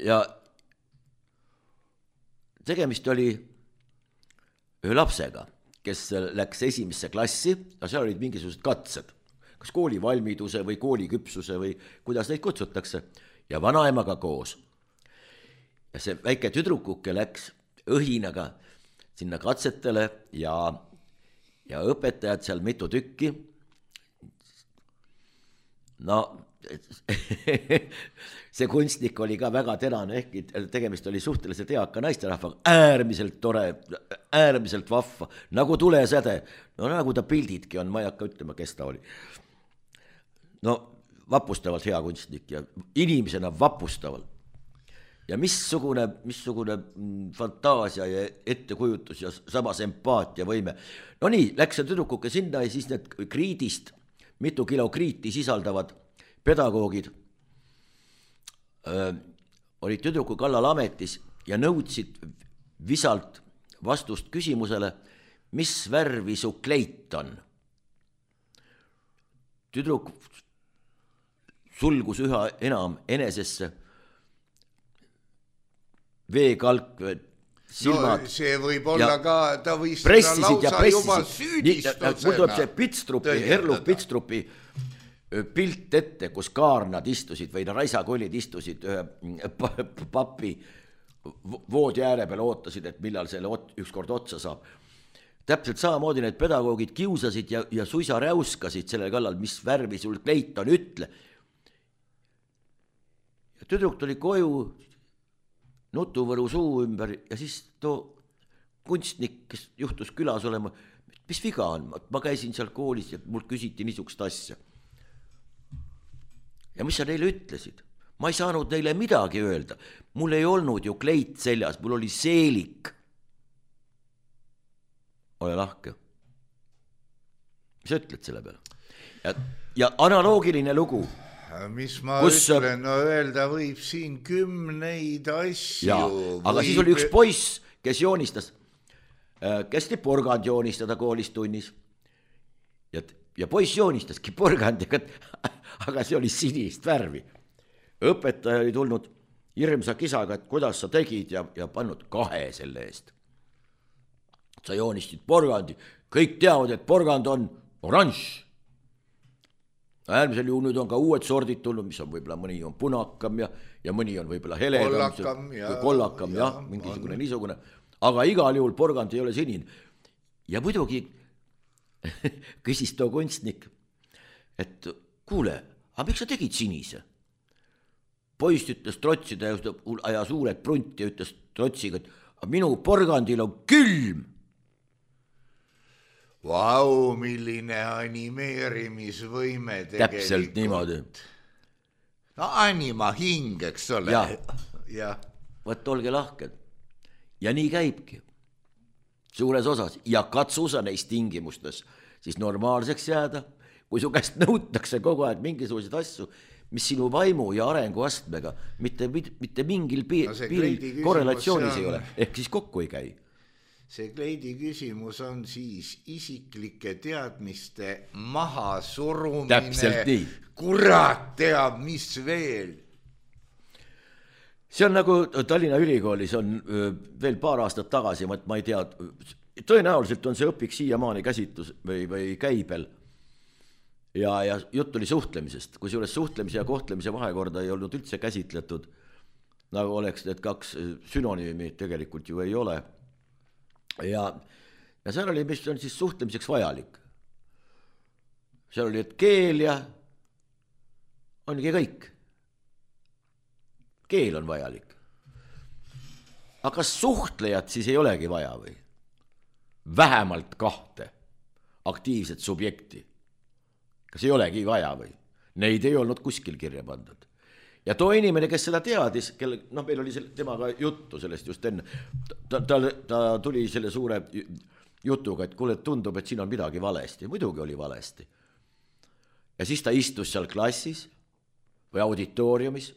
D: Ja tegemist oli ühe lapsega, kes läks 1. klassi, ja seal olid mingisugused katsed, kas kooli valmiduse või kooli küpsuse või kuidas neid kutsutakse, ja vanaemaga koos. Ja see väike tüdrukuke läks õhinaga sinna katsetele ja õpetajad seal mitu tükki. No, see kunstnik oli ka väga terane, ehkki tegemist oli suhteliselt eaka naisterahvaga, äärmiselt tore, äärmiselt vahva, nagu tulesäde, no nagu ta pildidki on, ma ei hakka ütlema, kes ta oli. No, vapustavalt hea kunstnik ja inimesena vapustavalt. Ja missugune fantaasia ja ettekujutus ja samas empaatia võime. No nii, läks see tüdrukuke sinna ja siis need kriidist, mitu kilo kriiti sisaldavad pedagoogid olid tüdruku kallal ametis ja nõudsid visalt vastust küsimusele, mis värvi su kleit on. Tüdruk sulgus üha enam enesesse, veekalk, silmad.
C: No see võib olla ka, ta võis
D: lausa
C: juba süüdistusena.
D: Mul tuleb see Pitstrupi, Herluf Pitstrupi pilt ette, kus kaarnad istusid või raisakollid istusid ühe papi voodi ääre peal, ootasid, et millal selle ükskord otsa saab. Täpselt samamoodi need pedagoogid kiusasid ja suisa räuskasid selle kallal, mis värvi sul kleit on, ütle. Ja tüdruk tuli koju, nutuvõru suu ümber ja siis too kunstnik, kes juhtus külas olema, mis viga on, ma käisin seal koolis ja mul küsiti niisugust asja. Ja mis sa neile ütlesid? Ma ei saanud neile midagi öelda, mul ei olnud ju kleit seljas, mul oli seelik. Ole lahke. Mis sa ütled selle peale? Ja analoogiline lugu.
C: Mis ma ütlen, no öelda võib siin 10 asju.
D: Ja, aga siis oli üks poiss, kes joonistas, kästi porgand joonistada koolis tunnis. Ja poiss joonistaski porgandiga, aga see oli sinist värvi. Õpetaja oli tulnud hirmsa kisaga, et kuidas sa tegid ja pannud 2 selle eest. Sa joonistasid porgandi, kõik teavad, et porgand on oranž. Äärmisel juhul nüüd on ka uued sordid tulnud, mis on võib-olla mõni on punakam ja mõni on võib-olla heledam, kollakam, jah, mingisugune niisugune. Aga igal juhul porgand ei ole sinine. Ja muidugi küsis too kunstnik, et kuule, aga miks sa tegid sinise? Poist ütles trotsida ja suured prunti ja ütles trotsiga, et minu porgandil on külm.
C: Vau, milline animeerimisvõime tegelikult.
D: Täpselt niimoodi.
C: No anima hing, eks ole.
D: Ja. Võt olge lahked. Ja nii käibki. Suures osas. Ja katsu sa neist tingimustes siis normaalseks jääda, kui su käest nõutakse kogu aeg mingisuguseid asju, mis sinu vaimu ja arenguastmega mitte mingil piiril korrelatsioonis ei ole. Ehk siis kokku ei käi.
C: See kleidi küsimus on siis isiklike teadmiste maha surumine.
D: Täpselt nii.
C: Kurat teab, mis veel.
D: See on nagu Tallinna Ülikoolis on veel paar aastat tagasi, ma ei tea, tõenäoliselt on see õpik siiamaani käsitlus või käibel. ja jutt oli suhtlemisest, kusjuures suhtlemise ja kohtlemise vahekorda ei olnud üldse käsitletud, nagu oleks need kaks sünonüümi, tegelikult ju ei ole. Ja seal oli, mis on siis suhtlemiseks vajalik. Seal oli, et keel ja ongi kõik. Keel on vajalik. Aga kas suhtlejat siis ei olegi vaja või? Vähemalt 2 aktiivset subjekti. Kas ei olegi vaja või? Neid ei olnud kuskil kirja pandud. Ja too inimene, kes seda teadis, meil oli temaga juttu sellest just enne, ta tuli selle suure jutuga, et kuule, tundub, et siin on midagi valesti. Muidugi oli valesti. Ja siis ta istus seal klassis või auditooriumis,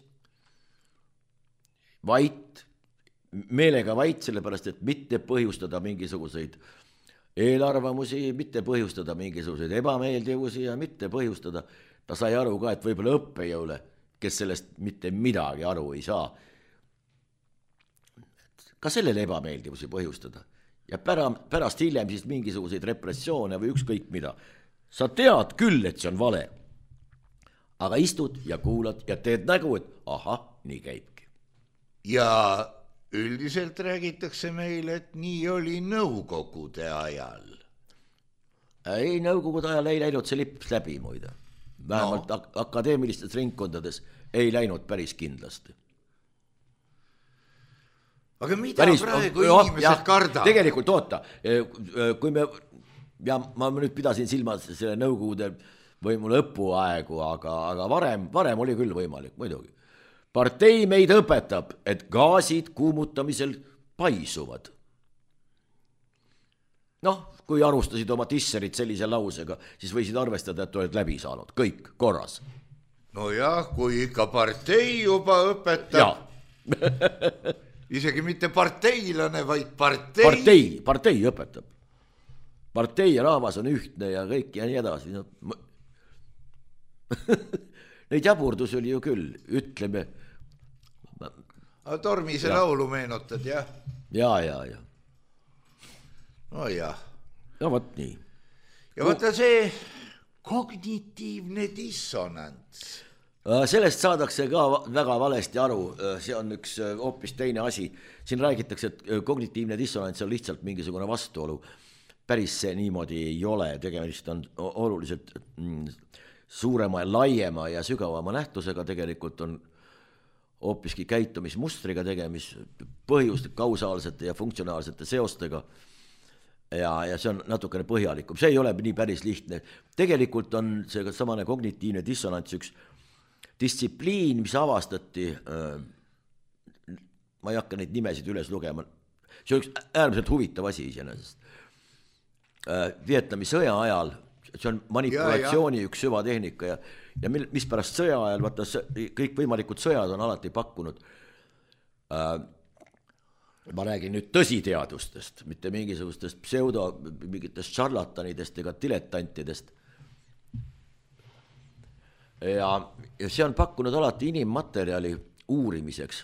D: vait, meelega vait, sellepärast, et mitte põhjustada mingisuguseid eelarvamusi, mitte põhjustada mingisuguseid ebameeldivusi ja mitte põhjustada, ta sai aru ka, et võib-olla õppejõule, kes sellest mitte midagi aru ei saa, ka sellele ebameeldivusi põhjustada. Ja pärast hiljem siis mingisuguseid repressioone või ükskõik mida. Sa tead küll, et see on vale, aga istud ja kuulad ja teed nägu, et ahah, nii käibki.
C: Ja üldiselt räägitakse meile, et nii oli nõukogude ajal.
D: Ei, nõukogude ajal ei läinud see lips läbi muide. Vähemalt akadeemilistes ringkondades ei läinud päris kindlasti.
C: Aga mida praegu inimesed kardavad?
D: Tegelikult oota, kui ma nüüd pidasin silmas selle nõukogude võimu lõpuaegu, aga varem oli küll võimalik, muidugi. Partei meid õpetab, et gaasid kuumutamisel paisuvad. Kui arustasid oma tisserid sellise lausega, siis võisid arvestada, et oled läbi saanud. Kõik korras.
C: No jah, kui ikka partei juba õpetab. Isegi mitte parteilane, vaid partei.
D: Partei õpetab. Partei ja rahvas on ühtne ja kõik ja nii edasi. Neid jaburdusi oli ju küll, ütleme.
C: Tormise laulu meenutad, jah?
D: Ja.
C: No jah.
D: No võt nii.
C: Ja võtta see kognitiivne dissonants.
D: Sellest saadakse ka väga valesti aru, see on üks hoopis teine asi. Siin räägitakse, et kognitiivne dissonants on lihtsalt mingisugune vastuolu. Päris see niimoodi ei ole, tegemist on oluliselt suurema, laiema ja sügavama nähtusega, tegelikult on hoopiski käitumismustriga tegemis, põhjuste, kausaalsete ja funktsionaalsete seostega ja see on natukene põhjalikum. See ei ole nii päris lihtne. Tegelikult on see samane kognitiivne dissonants üks distsipliin, mis avastati, ma ei hakka neid nimesid üles lugema, see on üks äärmiselt huvitav asi iseenesest. Vietnami sõja ajal, see on manipulatsiooni üks süvatehnika ja mis pärast sõja ajal, vaata kõik võimalikud sõjad on alati pakkunud, ma räägin nüüd tõsiteadustest, mitte mingisugustest mingitest šarlatanidest ega diletantidest. Ja see on pakkunud alati inimmaterjali uurimiseks.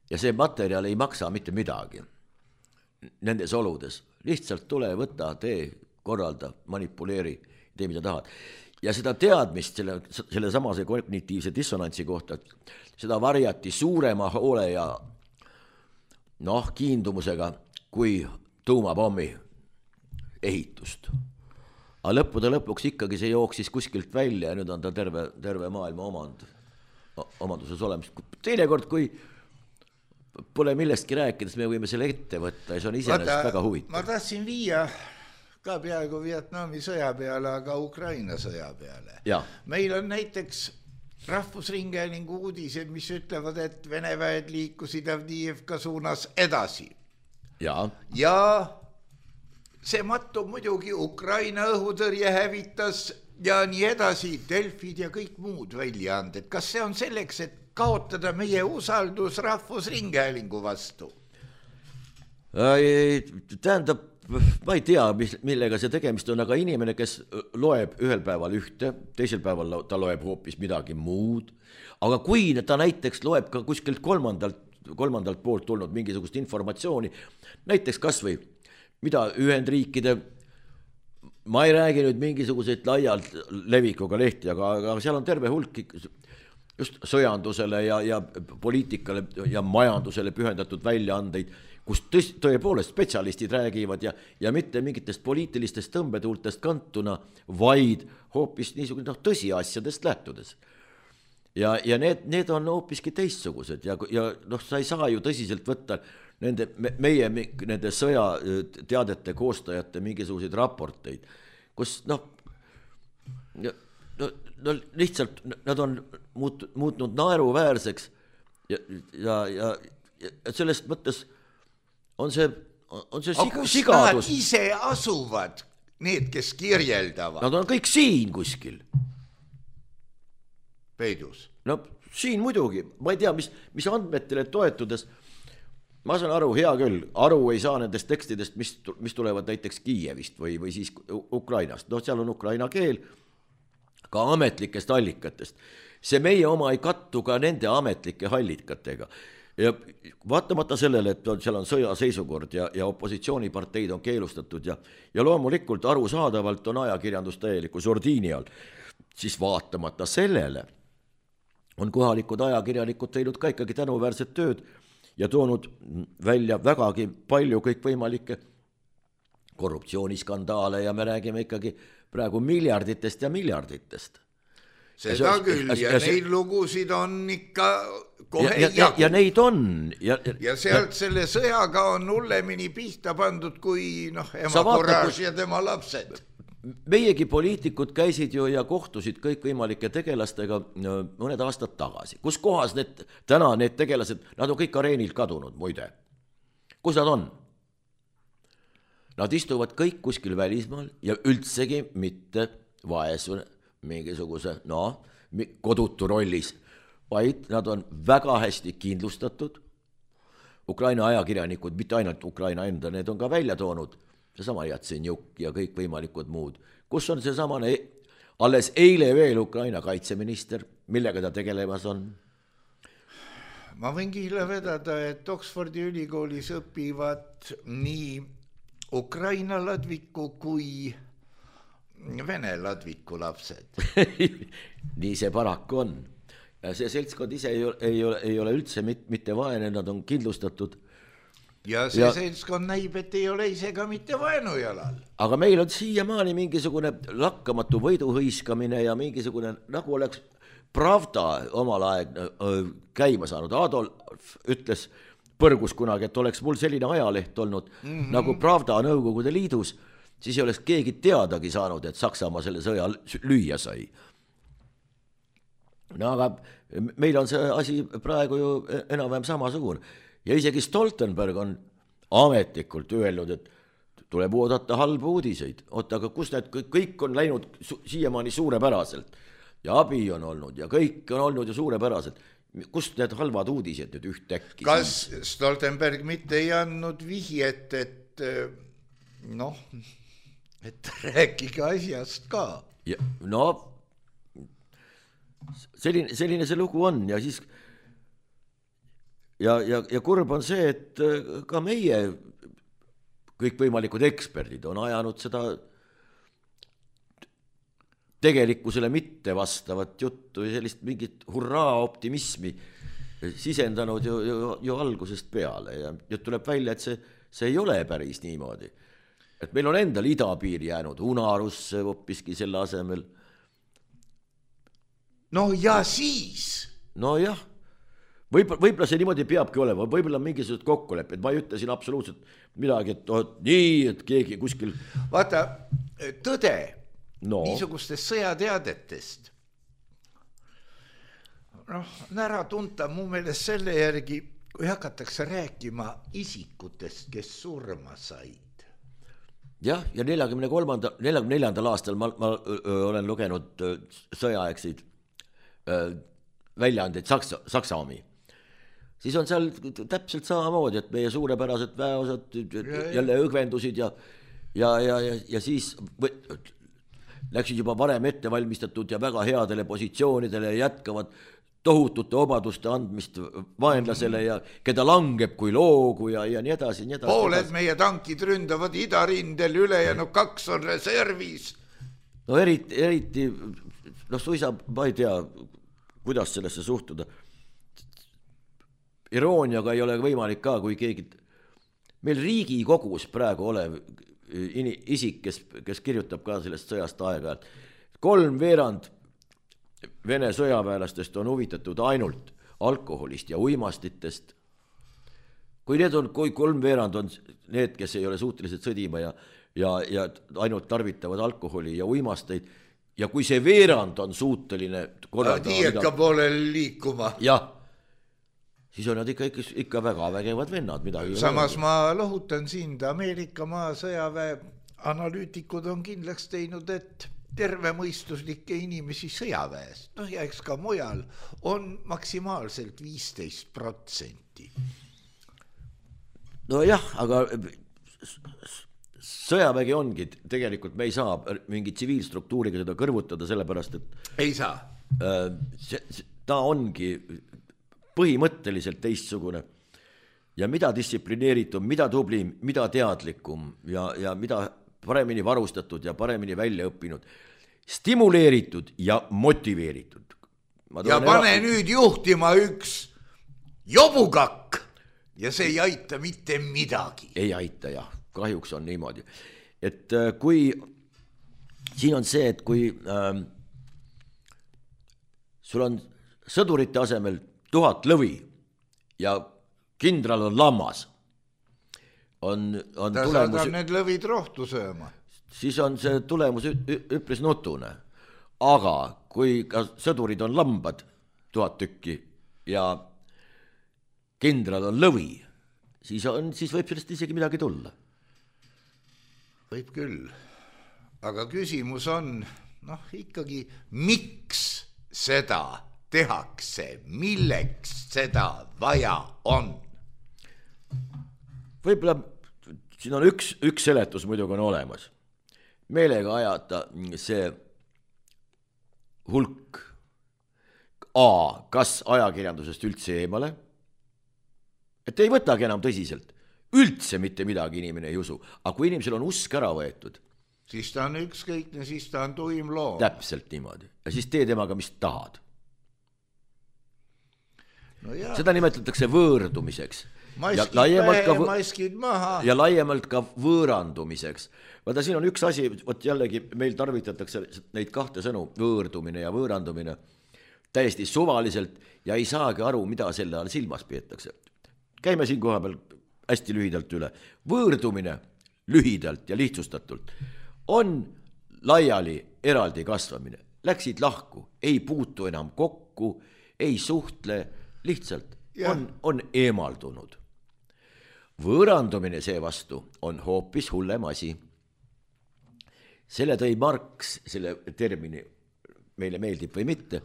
D: Ja see materjal ei maksa mitte midagi nendes oludes. Lihtsalt tule, võta, tee, korralda, manipuleeri, tee mida tahad. Ja seda teadmist selle samase kognitiivse dissonantsi kohta, seda varjati suurema hoole ja kiindumusega kui tuumapommi ehitust. Aga lõppude lõpuks ikkagi see jooksis kuskilt välja ja nüüd on ta terve maailma omanduses olemas. Teinekord, kui pole millestki rääkides, me võime selle ette võtta ja see on iseenesest väga huvitav.
C: Ma tahtsin viia ka peaaegu Vietnami sõja peale, aga Ukraina sõja peale.
D: Ja.
C: Meil on näiteks Rahvusringhäälingu uudised, mis ütlevad, et Vene väed liikusid Avdiivka suunas edasi.
D: Ja
C: see mattub muidugi Ukraina õhutõrje hävitas ja nii edasi, Delfid ja kõik muud väljaanded. Kas see on selleks, et kaotada meie usaldus Rahvusringhäälingu vastu?
D: Tähendab, ma ei tea, millega see tegemist on, aga inimene, kes loeb ühel päeval ühte, teisel päeval ta loeb hoopis midagi muud, aga kui ta näiteks loeb ka kuskilt kolmandalt poolt tulnud mingisugust informatsiooni, näiteks kas või mida Ühendriikide ma ei räägi nüüd mingisuguseid laialt levikuga lehti, aga seal on terve hulk just sõjandusele ja poliitikale ja majandusele pühendatud väljaandeid, kus tõepoolest spetsialistid räägivad ja mitte mingitest poliitilistest tõmbetuultest kantuna, vaid hoopis niisugune tõsiasjadest lähtudes. Ja need on hoopiski teistsugused ja sa ei saa ju tõsiselt võtta nende sõjateadete koostajate mingisuguseid raporteid, kus lihtsalt nad on muutnud naeruväärseks ja sellest mõttes on see sigadus.
C: Nad ise asuvad, need, kes kirjeldavad.
D: Nad on kõik siin kuskil.
C: Peidus.
D: No siin muidugi, ma ei tea, mis andmetele toetudes, ma saan aru, hea küll, aru ei saa nendest tekstidest, mis tulevad näiteks Kiievist või siis Ukrainast. Seal on ukraina keel, ka ametlikest allikatest. See meie oma ei kattu ka nende ametlike allikatega. Ja vaatamata sellele, et seal on sõjaseisukord ja opositsiooniparteid on keelustatud ja loomulikult arusaadavalt on ajakirjandus täieliku sordiini all, siis vaatamata sellele on kohalikud ajakirjanikud teinud ka ikkagi tänuväärset tööd ja toonud välja vägagi palju kõikvõimalikke korruptsiooniskandaale ja me räägime ikkagi praegu miljarditest ja miljarditest.
C: Seda küll ja neid lugusid on ikka kohe jagu.
D: Ja neid on.
C: Ja sealt selle sõjaga on hullemini pihta pandud kui ema Courage ja tema lapsed.
D: Meiegi poliitikud käisid ju ja kohtusid kõikvõimalike tegelastega mõned aastad tagasi. Kus kohas täna need tegelased, nad on kõik areenilt kadunud, muide. Kus nad on? Nad istuvad kõik kuskil välismaal ja üldsegi mitte vaesune mingisuguse, kodutu rollis, vaid nad on väga hästi kindlustatud. Ukraina ajakirjanikud, mitte ainult Ukraina enda, need on ka välja toonud, seesama Jatsenjuk ja kõik võimalikud muud. Kus on seesamane alles eile veel Ukraina kaitseminister, millega ta tegelemas on?
C: Ma võin kihla vedada, et Oxfordi ülikoolis õpivad nii Ukraina ladviku kui Vene ladviku lapsed.
D: Nii see paraku on. See seltskond ise ei ole üldse mitte vaene, nad on kindlustatud.
C: Ja see seltskond näib, et ei ole ise ka mitte vaenujalal.
D: Aga meil on siiamaani mingisugune lakkamatu võiduhõiskamine ja mingisugune, nagu oleks Pravda omal aeg käima saanud. Adolf ütles põrgus kunagi, et oleks mul selline ajaleht olnud nagu Pravda Nõukogude Liidus, siis ei oleks keegi teadagi saanud, et Saksamaa selle sõja lüüa sai. Aga meil on see asi praegu ju enam-vähem samasugune. Ja isegi Stoltenberg on ametlikult öelnud, et tuleb oodata halbu uudiseid. Aga kus need kõik on läinud siiamaani suurepäraselt? Ja abi on olnud ja kõik on olnud ju suurepäraselt. Kust need halvad uudised nüüd ühtäkki?
C: Kas Stoltenberg mitte ei andnud vihjet, et rääkige asjast ka?
D: Ja, selline see lugu on ja siis ja kurb on see, et ka meie kõikvõimalikud eksperdid on ajanud seda tegelikkusele mitte vastavat juttu ja sellist mingit hurraa optimismi sisendanud ju algusest peale ja tuleb välja, et see ei ole päris niimoodi. Et meil on endal idapiir jäänud unarusse hoopiski selle asemel.
C: No ja siis?
D: No jah, võib-olla see niimoodi peabki olema, võib-olla mingisugused kokkulepped, ma ei ütle siin absoluutselt midagi, et nii, et keegi kuskil...
C: Vaata, tõde niisugustest sõjateadetest on ära tunta mu meelest selle järgi, kui hakatakse rääkima isikutest, kes surma said.
D: Jah, ja 44. aastal ma olen lugenud sõjaaegseid väljaandeid Saksaami. Siis on seal täpselt samamoodi, et meie suurepärased väeosad jälle õgvendusid ja siis läksid juba varem ette valmistatud ja väga headele positsioonidele ja jätkavad tohutute obaduste andmist vaenlasele ja keda langeb kui loogu ja nii edasi, nii edasi.
C: Pooled meie tankid ründavad idarindel, ülejäänud 2 on reservis.
D: No eriti, suisa, ma ei tea, kuidas sellesse suhtuda. Irooniaga ei ole võimalik ka, kui keegi, meil Riigikogus praegu olev isik, kes kirjutab ka sellest sõjast aega, 3/4 Vene sõjaväelastest on huvitatud ainult alkoholist ja uimastitest. Kui 3/4 on need, kes ei ole suutelised sõdima ja ainult tarvitavad alkoholi ja uimasteid, ja kui see veerand on suuteline
C: tiieka poolel liikuma.
D: Jah, siis on nad ikka väga vägevad vennad midagi.
C: Samas ma lohutan sind, Ameerika maa sõjaväe analüütikud on kindlaks teinud, et tervemõistuslikke inimesi sõjaväes, ja eks ka mujal, on maksimaalselt 15%.
D: No jah, aga sõjavägi ongi, tegelikult me ei saa mingi tsiviilstruktuuriga seda kõrvutada, sellepärast, et
C: ei saa.
D: Ta ongi põhimõtteliselt teistsugune ja mida distsiplineeritum, mida tublim, mida teadlikum ja mida paremini varustatud ja paremini välja õppinud, stimuleeritud ja motiveeritud.
C: Ja pane nüüd juhtima üks jobukakk ja see ei aita mitte midagi.
D: Ei aita, jah, kahjuks on niimoodi. Et kui, siin on see, et kui sul on sõdurite asemel 1000 lõvi ja kindral on lammas, on tulemus,
C: saadab need lõvid rohtu sööma.
D: Siis on see tulemus üpris nutune. Aga kui ka sõdurid on lambad 1000 tükki ja kindral on lõvi, siis võib sellest isegi midagi tulla.
C: Võib küll. Aga küsimus on, ikkagi, miks seda tehakse, milleks seda vaja on?
D: Võib-olla siin on üks seletus muidugi on olemas. Meelega ajata see hulk kas ajakirjandusest üldse eemale, et ei võtagi enam tõsiselt, üldse mitte midagi inimene ei usu, aga kui inimesel on usk ära võetud,
C: siis ta on ükskõikne, siis ta on tuim loom.
D: Täpselt niimoodi. Ja siis tee temaga, mis tahad.
C: No
D: seda nimetatakse võõrdumiseks. Ja laiemalt ka võõrandumiseks. Vaata, siin on üks asi, jällegi meil tarvitatakse neid kahte sõnu, võõrdumine ja võõrandumine, täiesti suvaliselt ja ei saagi aru, mida selle all silmas peetakse. Käime siin koha peal hästi lühidalt üle. Võõrdumine lühidalt ja lihtsustatult on laiali eraldi kasvamine. Läksid lahku, ei puutu enam kokku, ei suhtle, lihtsalt on eemaldunud. Võõrandumine seevastu on hoopis hullem asi. Selle tõi Marx, selle termini, meile meeldib või mitte,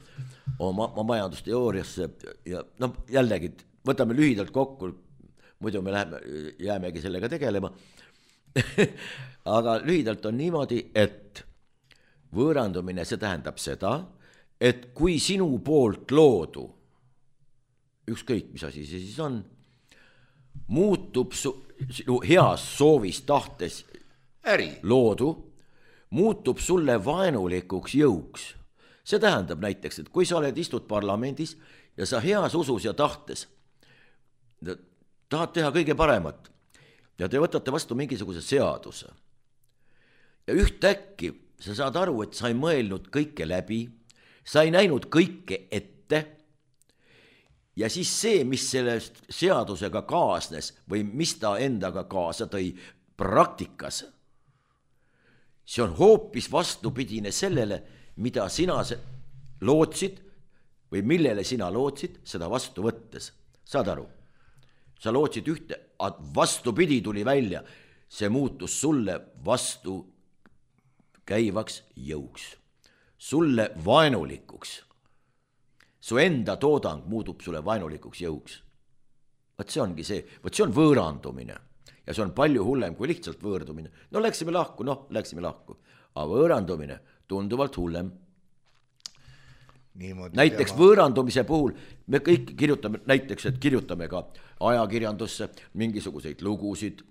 D: oma majandusteooriasse ja jällegi, võtame lühidalt kokku, muidu me jäämegi sellega tegelema. Aga lühidalt on niimoodi, et võõrandumine, see tähendab seda, et kui sinu poolt loodu, ükskõik mis asi see siis on, muutub sinu heas soovis tahtes loodu, muutub sulle vaenulikuks jõuks. See tähendab näiteks, et kui sa istud parlamendis ja sa heas usus ja tahtes tahad teha kõige paremat ja te võtate vastu mingisuguse seaduse ja ühtäkki sa saad aru, et sa ei mõelnud kõike läbi, sa ei näinud kõike ette ja siis see, mis sellest seadusega kaasnes või mis ta endaga kaasa tõi praktikas, see on hoopis vastupidine sellele, mida sina lootsid või millele sina lootsid seda vastu võttes. Saad aru? Sa lootsid ühte, vastupidi tuli välja, see muutus sulle vastu käivaks jõuks, sulle vaenulikuks. Su enda toodang muutub sulle vaenulikuks jõuks. Vaat see ongi see, vaat see on võõrandumine ja see on palju hullem kui lihtsalt võõrdumine. Läksime lahku. Aga võõrandumine tunduvalt hullem. näiteks võõrandumise puhul me kõik kirjutame, näiteks, et kirjutame ka ajakirjandusse mingisuguseid lugusid,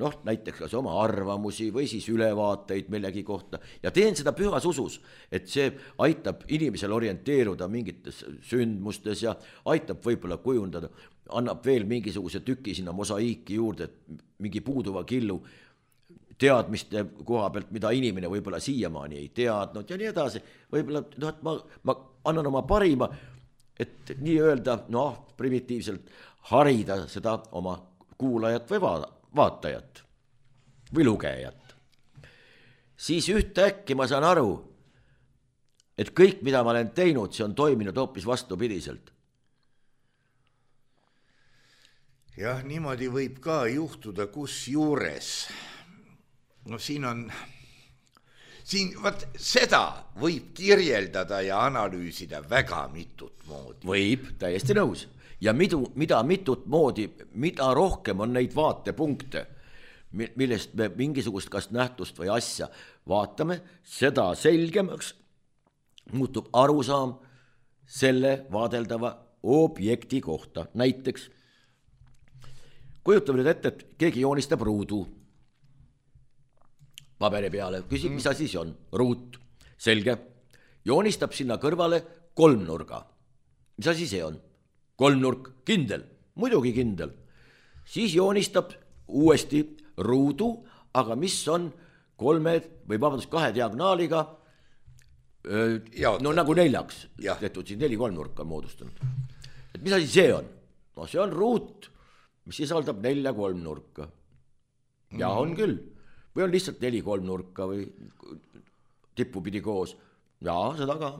D: noh, näiteks kas oma arvamusi või siis ülevaateid millegi kohta ja teen seda pühas usus, et see aitab inimesel orienteeruda mingites sündmustes ja aitab võib-olla kujundada, annab veel mingisuguse tüki sinna mosaiiki juurde, et mingi puuduva killu teadmiste koha pealt, mida inimene võib-olla siiamaani ei teadnud ja nii edasi, võib-olla, noh, et ma annan oma parima, et nii öelda, noh, primitiivselt harida seda oma kuulajat või vaatajat või lugejat. Siis ühtäkki ma saan aru, et kõik, mida ma olen teinud, see on toiminud hoopis vastupidiselt.
C: Jah, niimoodi võib ka juhtuda, kus juures. No siin vaat seda võib kirjeldada ja analüüsida väga mitut moodi.
D: Võib, täiesti nõus. Ja mida mitut moodi, mida rohkem on neid vaatepunkte, millest me mingisugust kas nähtust või asja vaatame, seda selgemaks muutub arusaam selle vaadeldava objekti kohta. Näiteks, kujutame nüüd ette, et keegi joonistab ruudu paberi peale, küsib, mis asi see on, ruut, selge, joonistab sinna kõrvale kolmnurga, mis asi see on, kolmnurk, kindel, muidugi kindel, siis joonistab uuesti ruudu, aga mis on kahe diagnaaliga, no nagu neljaks, tehtud siin 4 kolmnurka moodustanud, et mis asi see on, no see on ruut, mis sisaldab 4 kolmnurka ja on küll. Või on lihtsalt 4 kolmnurka või tippupidi koos. Jaa, seda ka.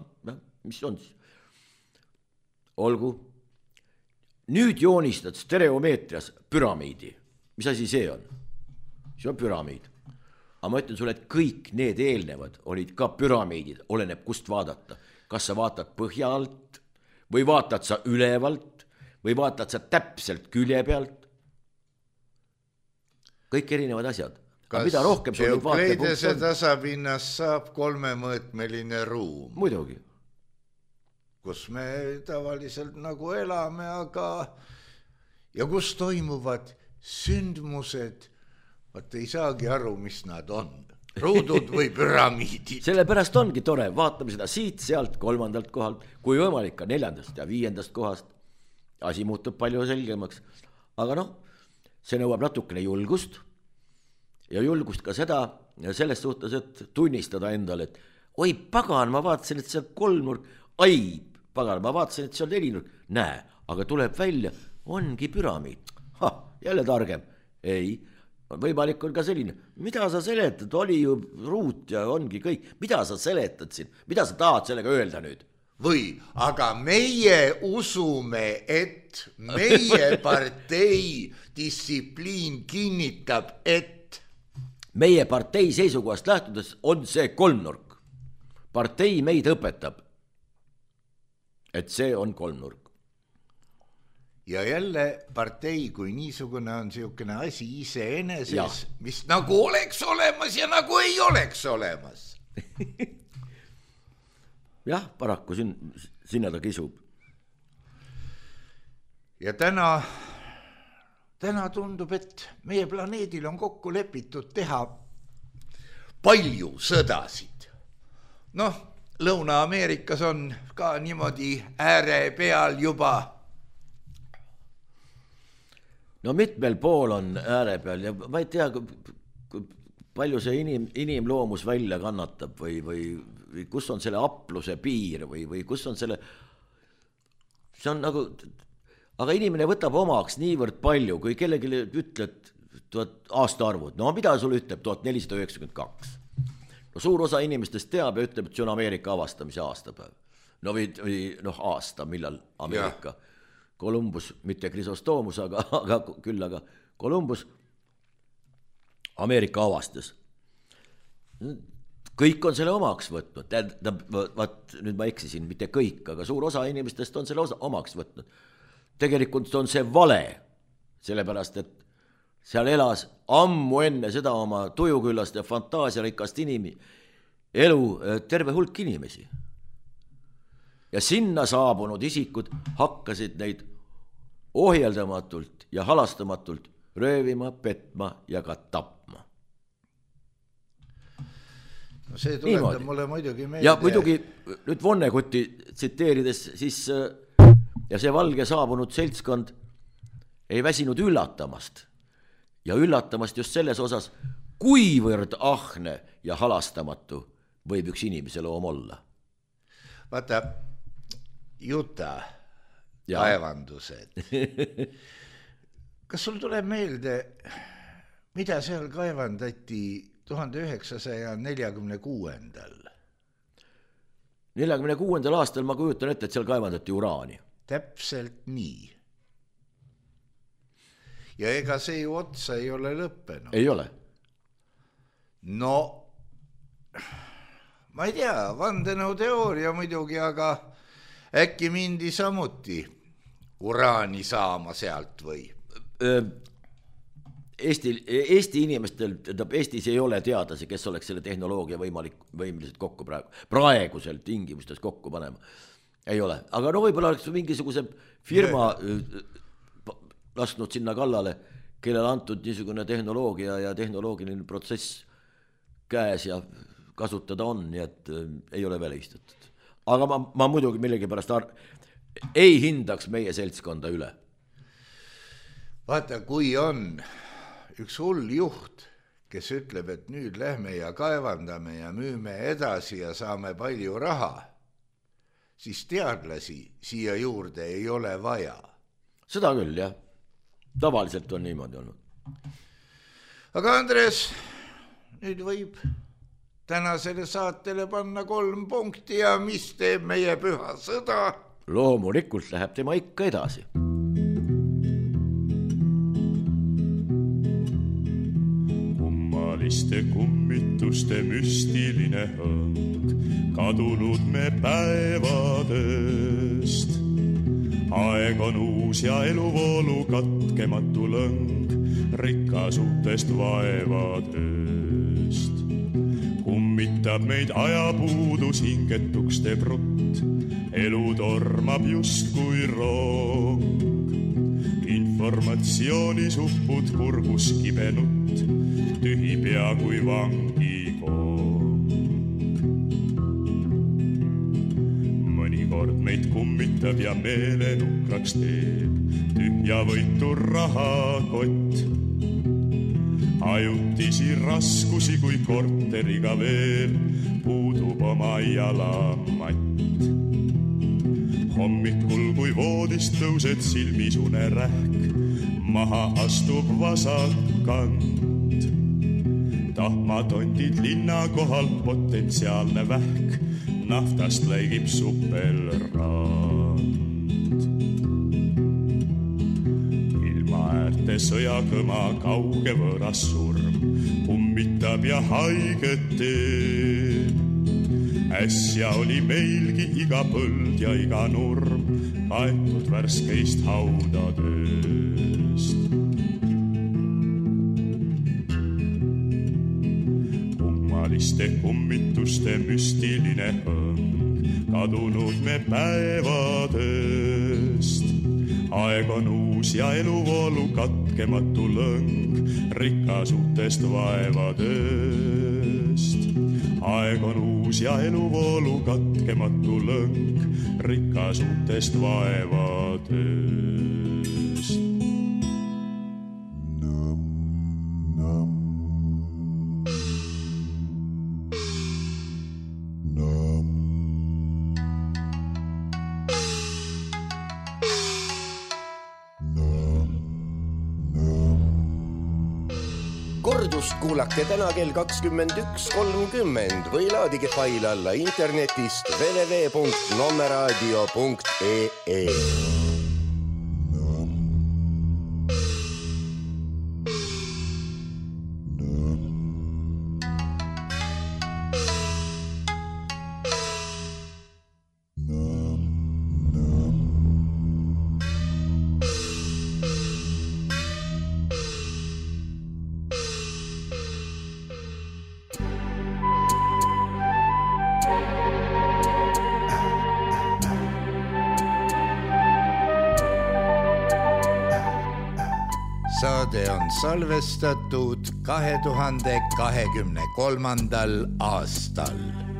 D: Mis on siis? Olgu. Nüüd joonistad stereomeetrias püramiidi. Mis asi see on? See on püramiid. Aga ma ütlen sulle, et kõik need eelnevad olid ka püramiidid. Oleneb kust vaadata. Kas sa vaatad põhja alt või vaatad sa ülevalt või vaatad sa täpselt külje pealt. Kõik erinevad asjad.
C: Kas Eukleidese tasapinnas saab 3-mõõtmeline ruum?
D: Muidugi.
C: Kus me tavaliselt nagu elame, aga ja kus toimuvad sündmused, vaat ei saagi aru, mis nad on. Ruudud või püramiidid.
D: Sellepärast ongi tore, vaatame seda siit, sealt, 3. kohalt, kui võimalik ka 4. ja 5. kohast. Asi muutub palju selgemaks. Aga noh, see nõuab natukene julgust. Ja julgust ka seda selles suhtes, et tunnistada endale, et oi pagan, ma vaatasin, et see on kolmnurk, ai pagan, ma vaatasin, et see on 4 nurk, näe, aga tuleb välja, ongi püramiid. Jälle targem. Ei, võimalik on ka selline, mida sa seletad, oli ju ruut ja ongi kõik, mida sa seletad siin, mida sa tahad sellega öelda nüüd?
C: Või, aga meie usume, et meie partei distsipliin kinnitab, et
D: meie partei seisukohast lähtudes on see kolmnurk. Partei meid õpetab, et see on kolmnurk.
C: Ja jälle partei kui niisugune on niisugune asi iseeneses, mis nagu oleks olemas ja nagu ei oleks olemas.
D: Jah, paraku sinna ta kisub.
C: Ja täna tundub, et meie planeedil on kokku lepitud teha palju sõdasid. Noh, Lõuna-Ameerikas on ka niimoodi ääre peal juba.
D: No mitmel pool on ääre peal ja ma ei tea, palju see inimloomus välja kannatab või kus on selle apluse piir või kus on selle, see on nagu, aga inimene võtab omaks niivõrd palju, kui kellegi ütled aastaarvud, no mida sul ütleb 1492? No suur osa inimestest teab ja ütleb, et see on Ameerika avastamise aastapäev. No või aasta, millal Ameerika. Columbus, mitte Chrysostomos, aga Columbus Ameerika avastas. Kõik on selle omaks võtnud, nüüd ma eksisin, mitte kõik, aga suur osa inimestest on selle omaks võtnud. Tegelikult on see vale, sellepärast, et seal elas ammu enne seda oma tujuküllast ja fantaasiarikast elu terve hulk inimesi. ja sinna saabunud isikud hakkasid neid ohjeldamatult ja halastamatult röövima, petma ja ka tapma.
C: No see tuletab mulle muidugi meelde.
D: Ja muidugi nüüd Vonnegutti tsiteerides siis ja see valge saabunud seltskond ei väsinud üllatamast ja üllatamast just selles osas, kuivõrd ahne ja halastamatu võib üks inimese loom olla.
C: Vaata, Juta kaevandused. Kas sul tuleb meelde, mida seal kaevandati 1946.
D: 46. aastal ma kujutan ette, et seal kaevandati uraani.
C: Täpselt nii. Ja ega see ju otsa ei ole lõppenud.
D: Ei ole.
C: No, ma ei tea, vandenõuteooria muidugi, aga äkki mindi samuti uraani saama sealt või?
D: Eesti inimestel, Eestis ei ole teadlasi, kes oleks selle tehnoloogia võimelised kokku praegusel tingimustes kokku panema. Ei ole, aga no võib-olla oleks mingisuguse firma lasknud sinna kallale, kellel antud niisugune tehnoloogia ja tehnoloogiline protsess käes ja kasutada on, nii et ei ole välistatud. Aga ma muidugi millegipärast ei hindaks meie seltskonda üle.
C: Vaata, kui on üks hull juht, kes ütleb, et nüüd lähme ja kaevandame ja müüme edasi ja saame palju raha, siis teadlasi siia juurde ei ole vaja.
D: Seda küll, jah. Tavaliselt on niimoodi olnud.
C: Aga Andres, nüüd võib tänasele saatele panna 3 punkti ja mis teeb meie püha sõda?
D: Loomulikult läheb tema ikka edasi.
B: Kummaliste kummituste müstiline hõng, kadunud me päevadest. Aeg on uus ja eluvoolu katkematu lõng, rikkasutest vaevadest. Kummitab meid ajapuudus, hingetuks teeb rutt, elu tormab just kui rong. Informatsioonis uppud kurgus kibenutt, tühi pea kui vangikong. Mõnikord meid kummitab ja meelenukraks teeb, tühja võitu rahakott. Ajutisi raskusi kui korteriga veel, puudub oma jalamatt. Hommikul kui voodist tõused silmisune rähk, maha astub vasakkant. Tahmatondid linna kohal potentsiaalne vähk, naftast läigib supelrand. Ilma äärte sõjakõma kauge võõras surm, kummitab ja haiget teeb. Äsja oli meilgi iga põld ja iga nurm kaetud värskeist haudadest. Kummaliste kummituste müstiline hõng, kadunud me päevadest. Aeg on uus ja eluvoolu katkematu lõng, rikkasutest vaevadest. Aeg on uus ja eluvoolu katkematu lõng, rikkasutest vaevadest.
E: Kordust kuulake täna kell 21.30 või laadige fail alla internetist www.nommeradio.ee.
C: saade on salvestatud 2023. aastal.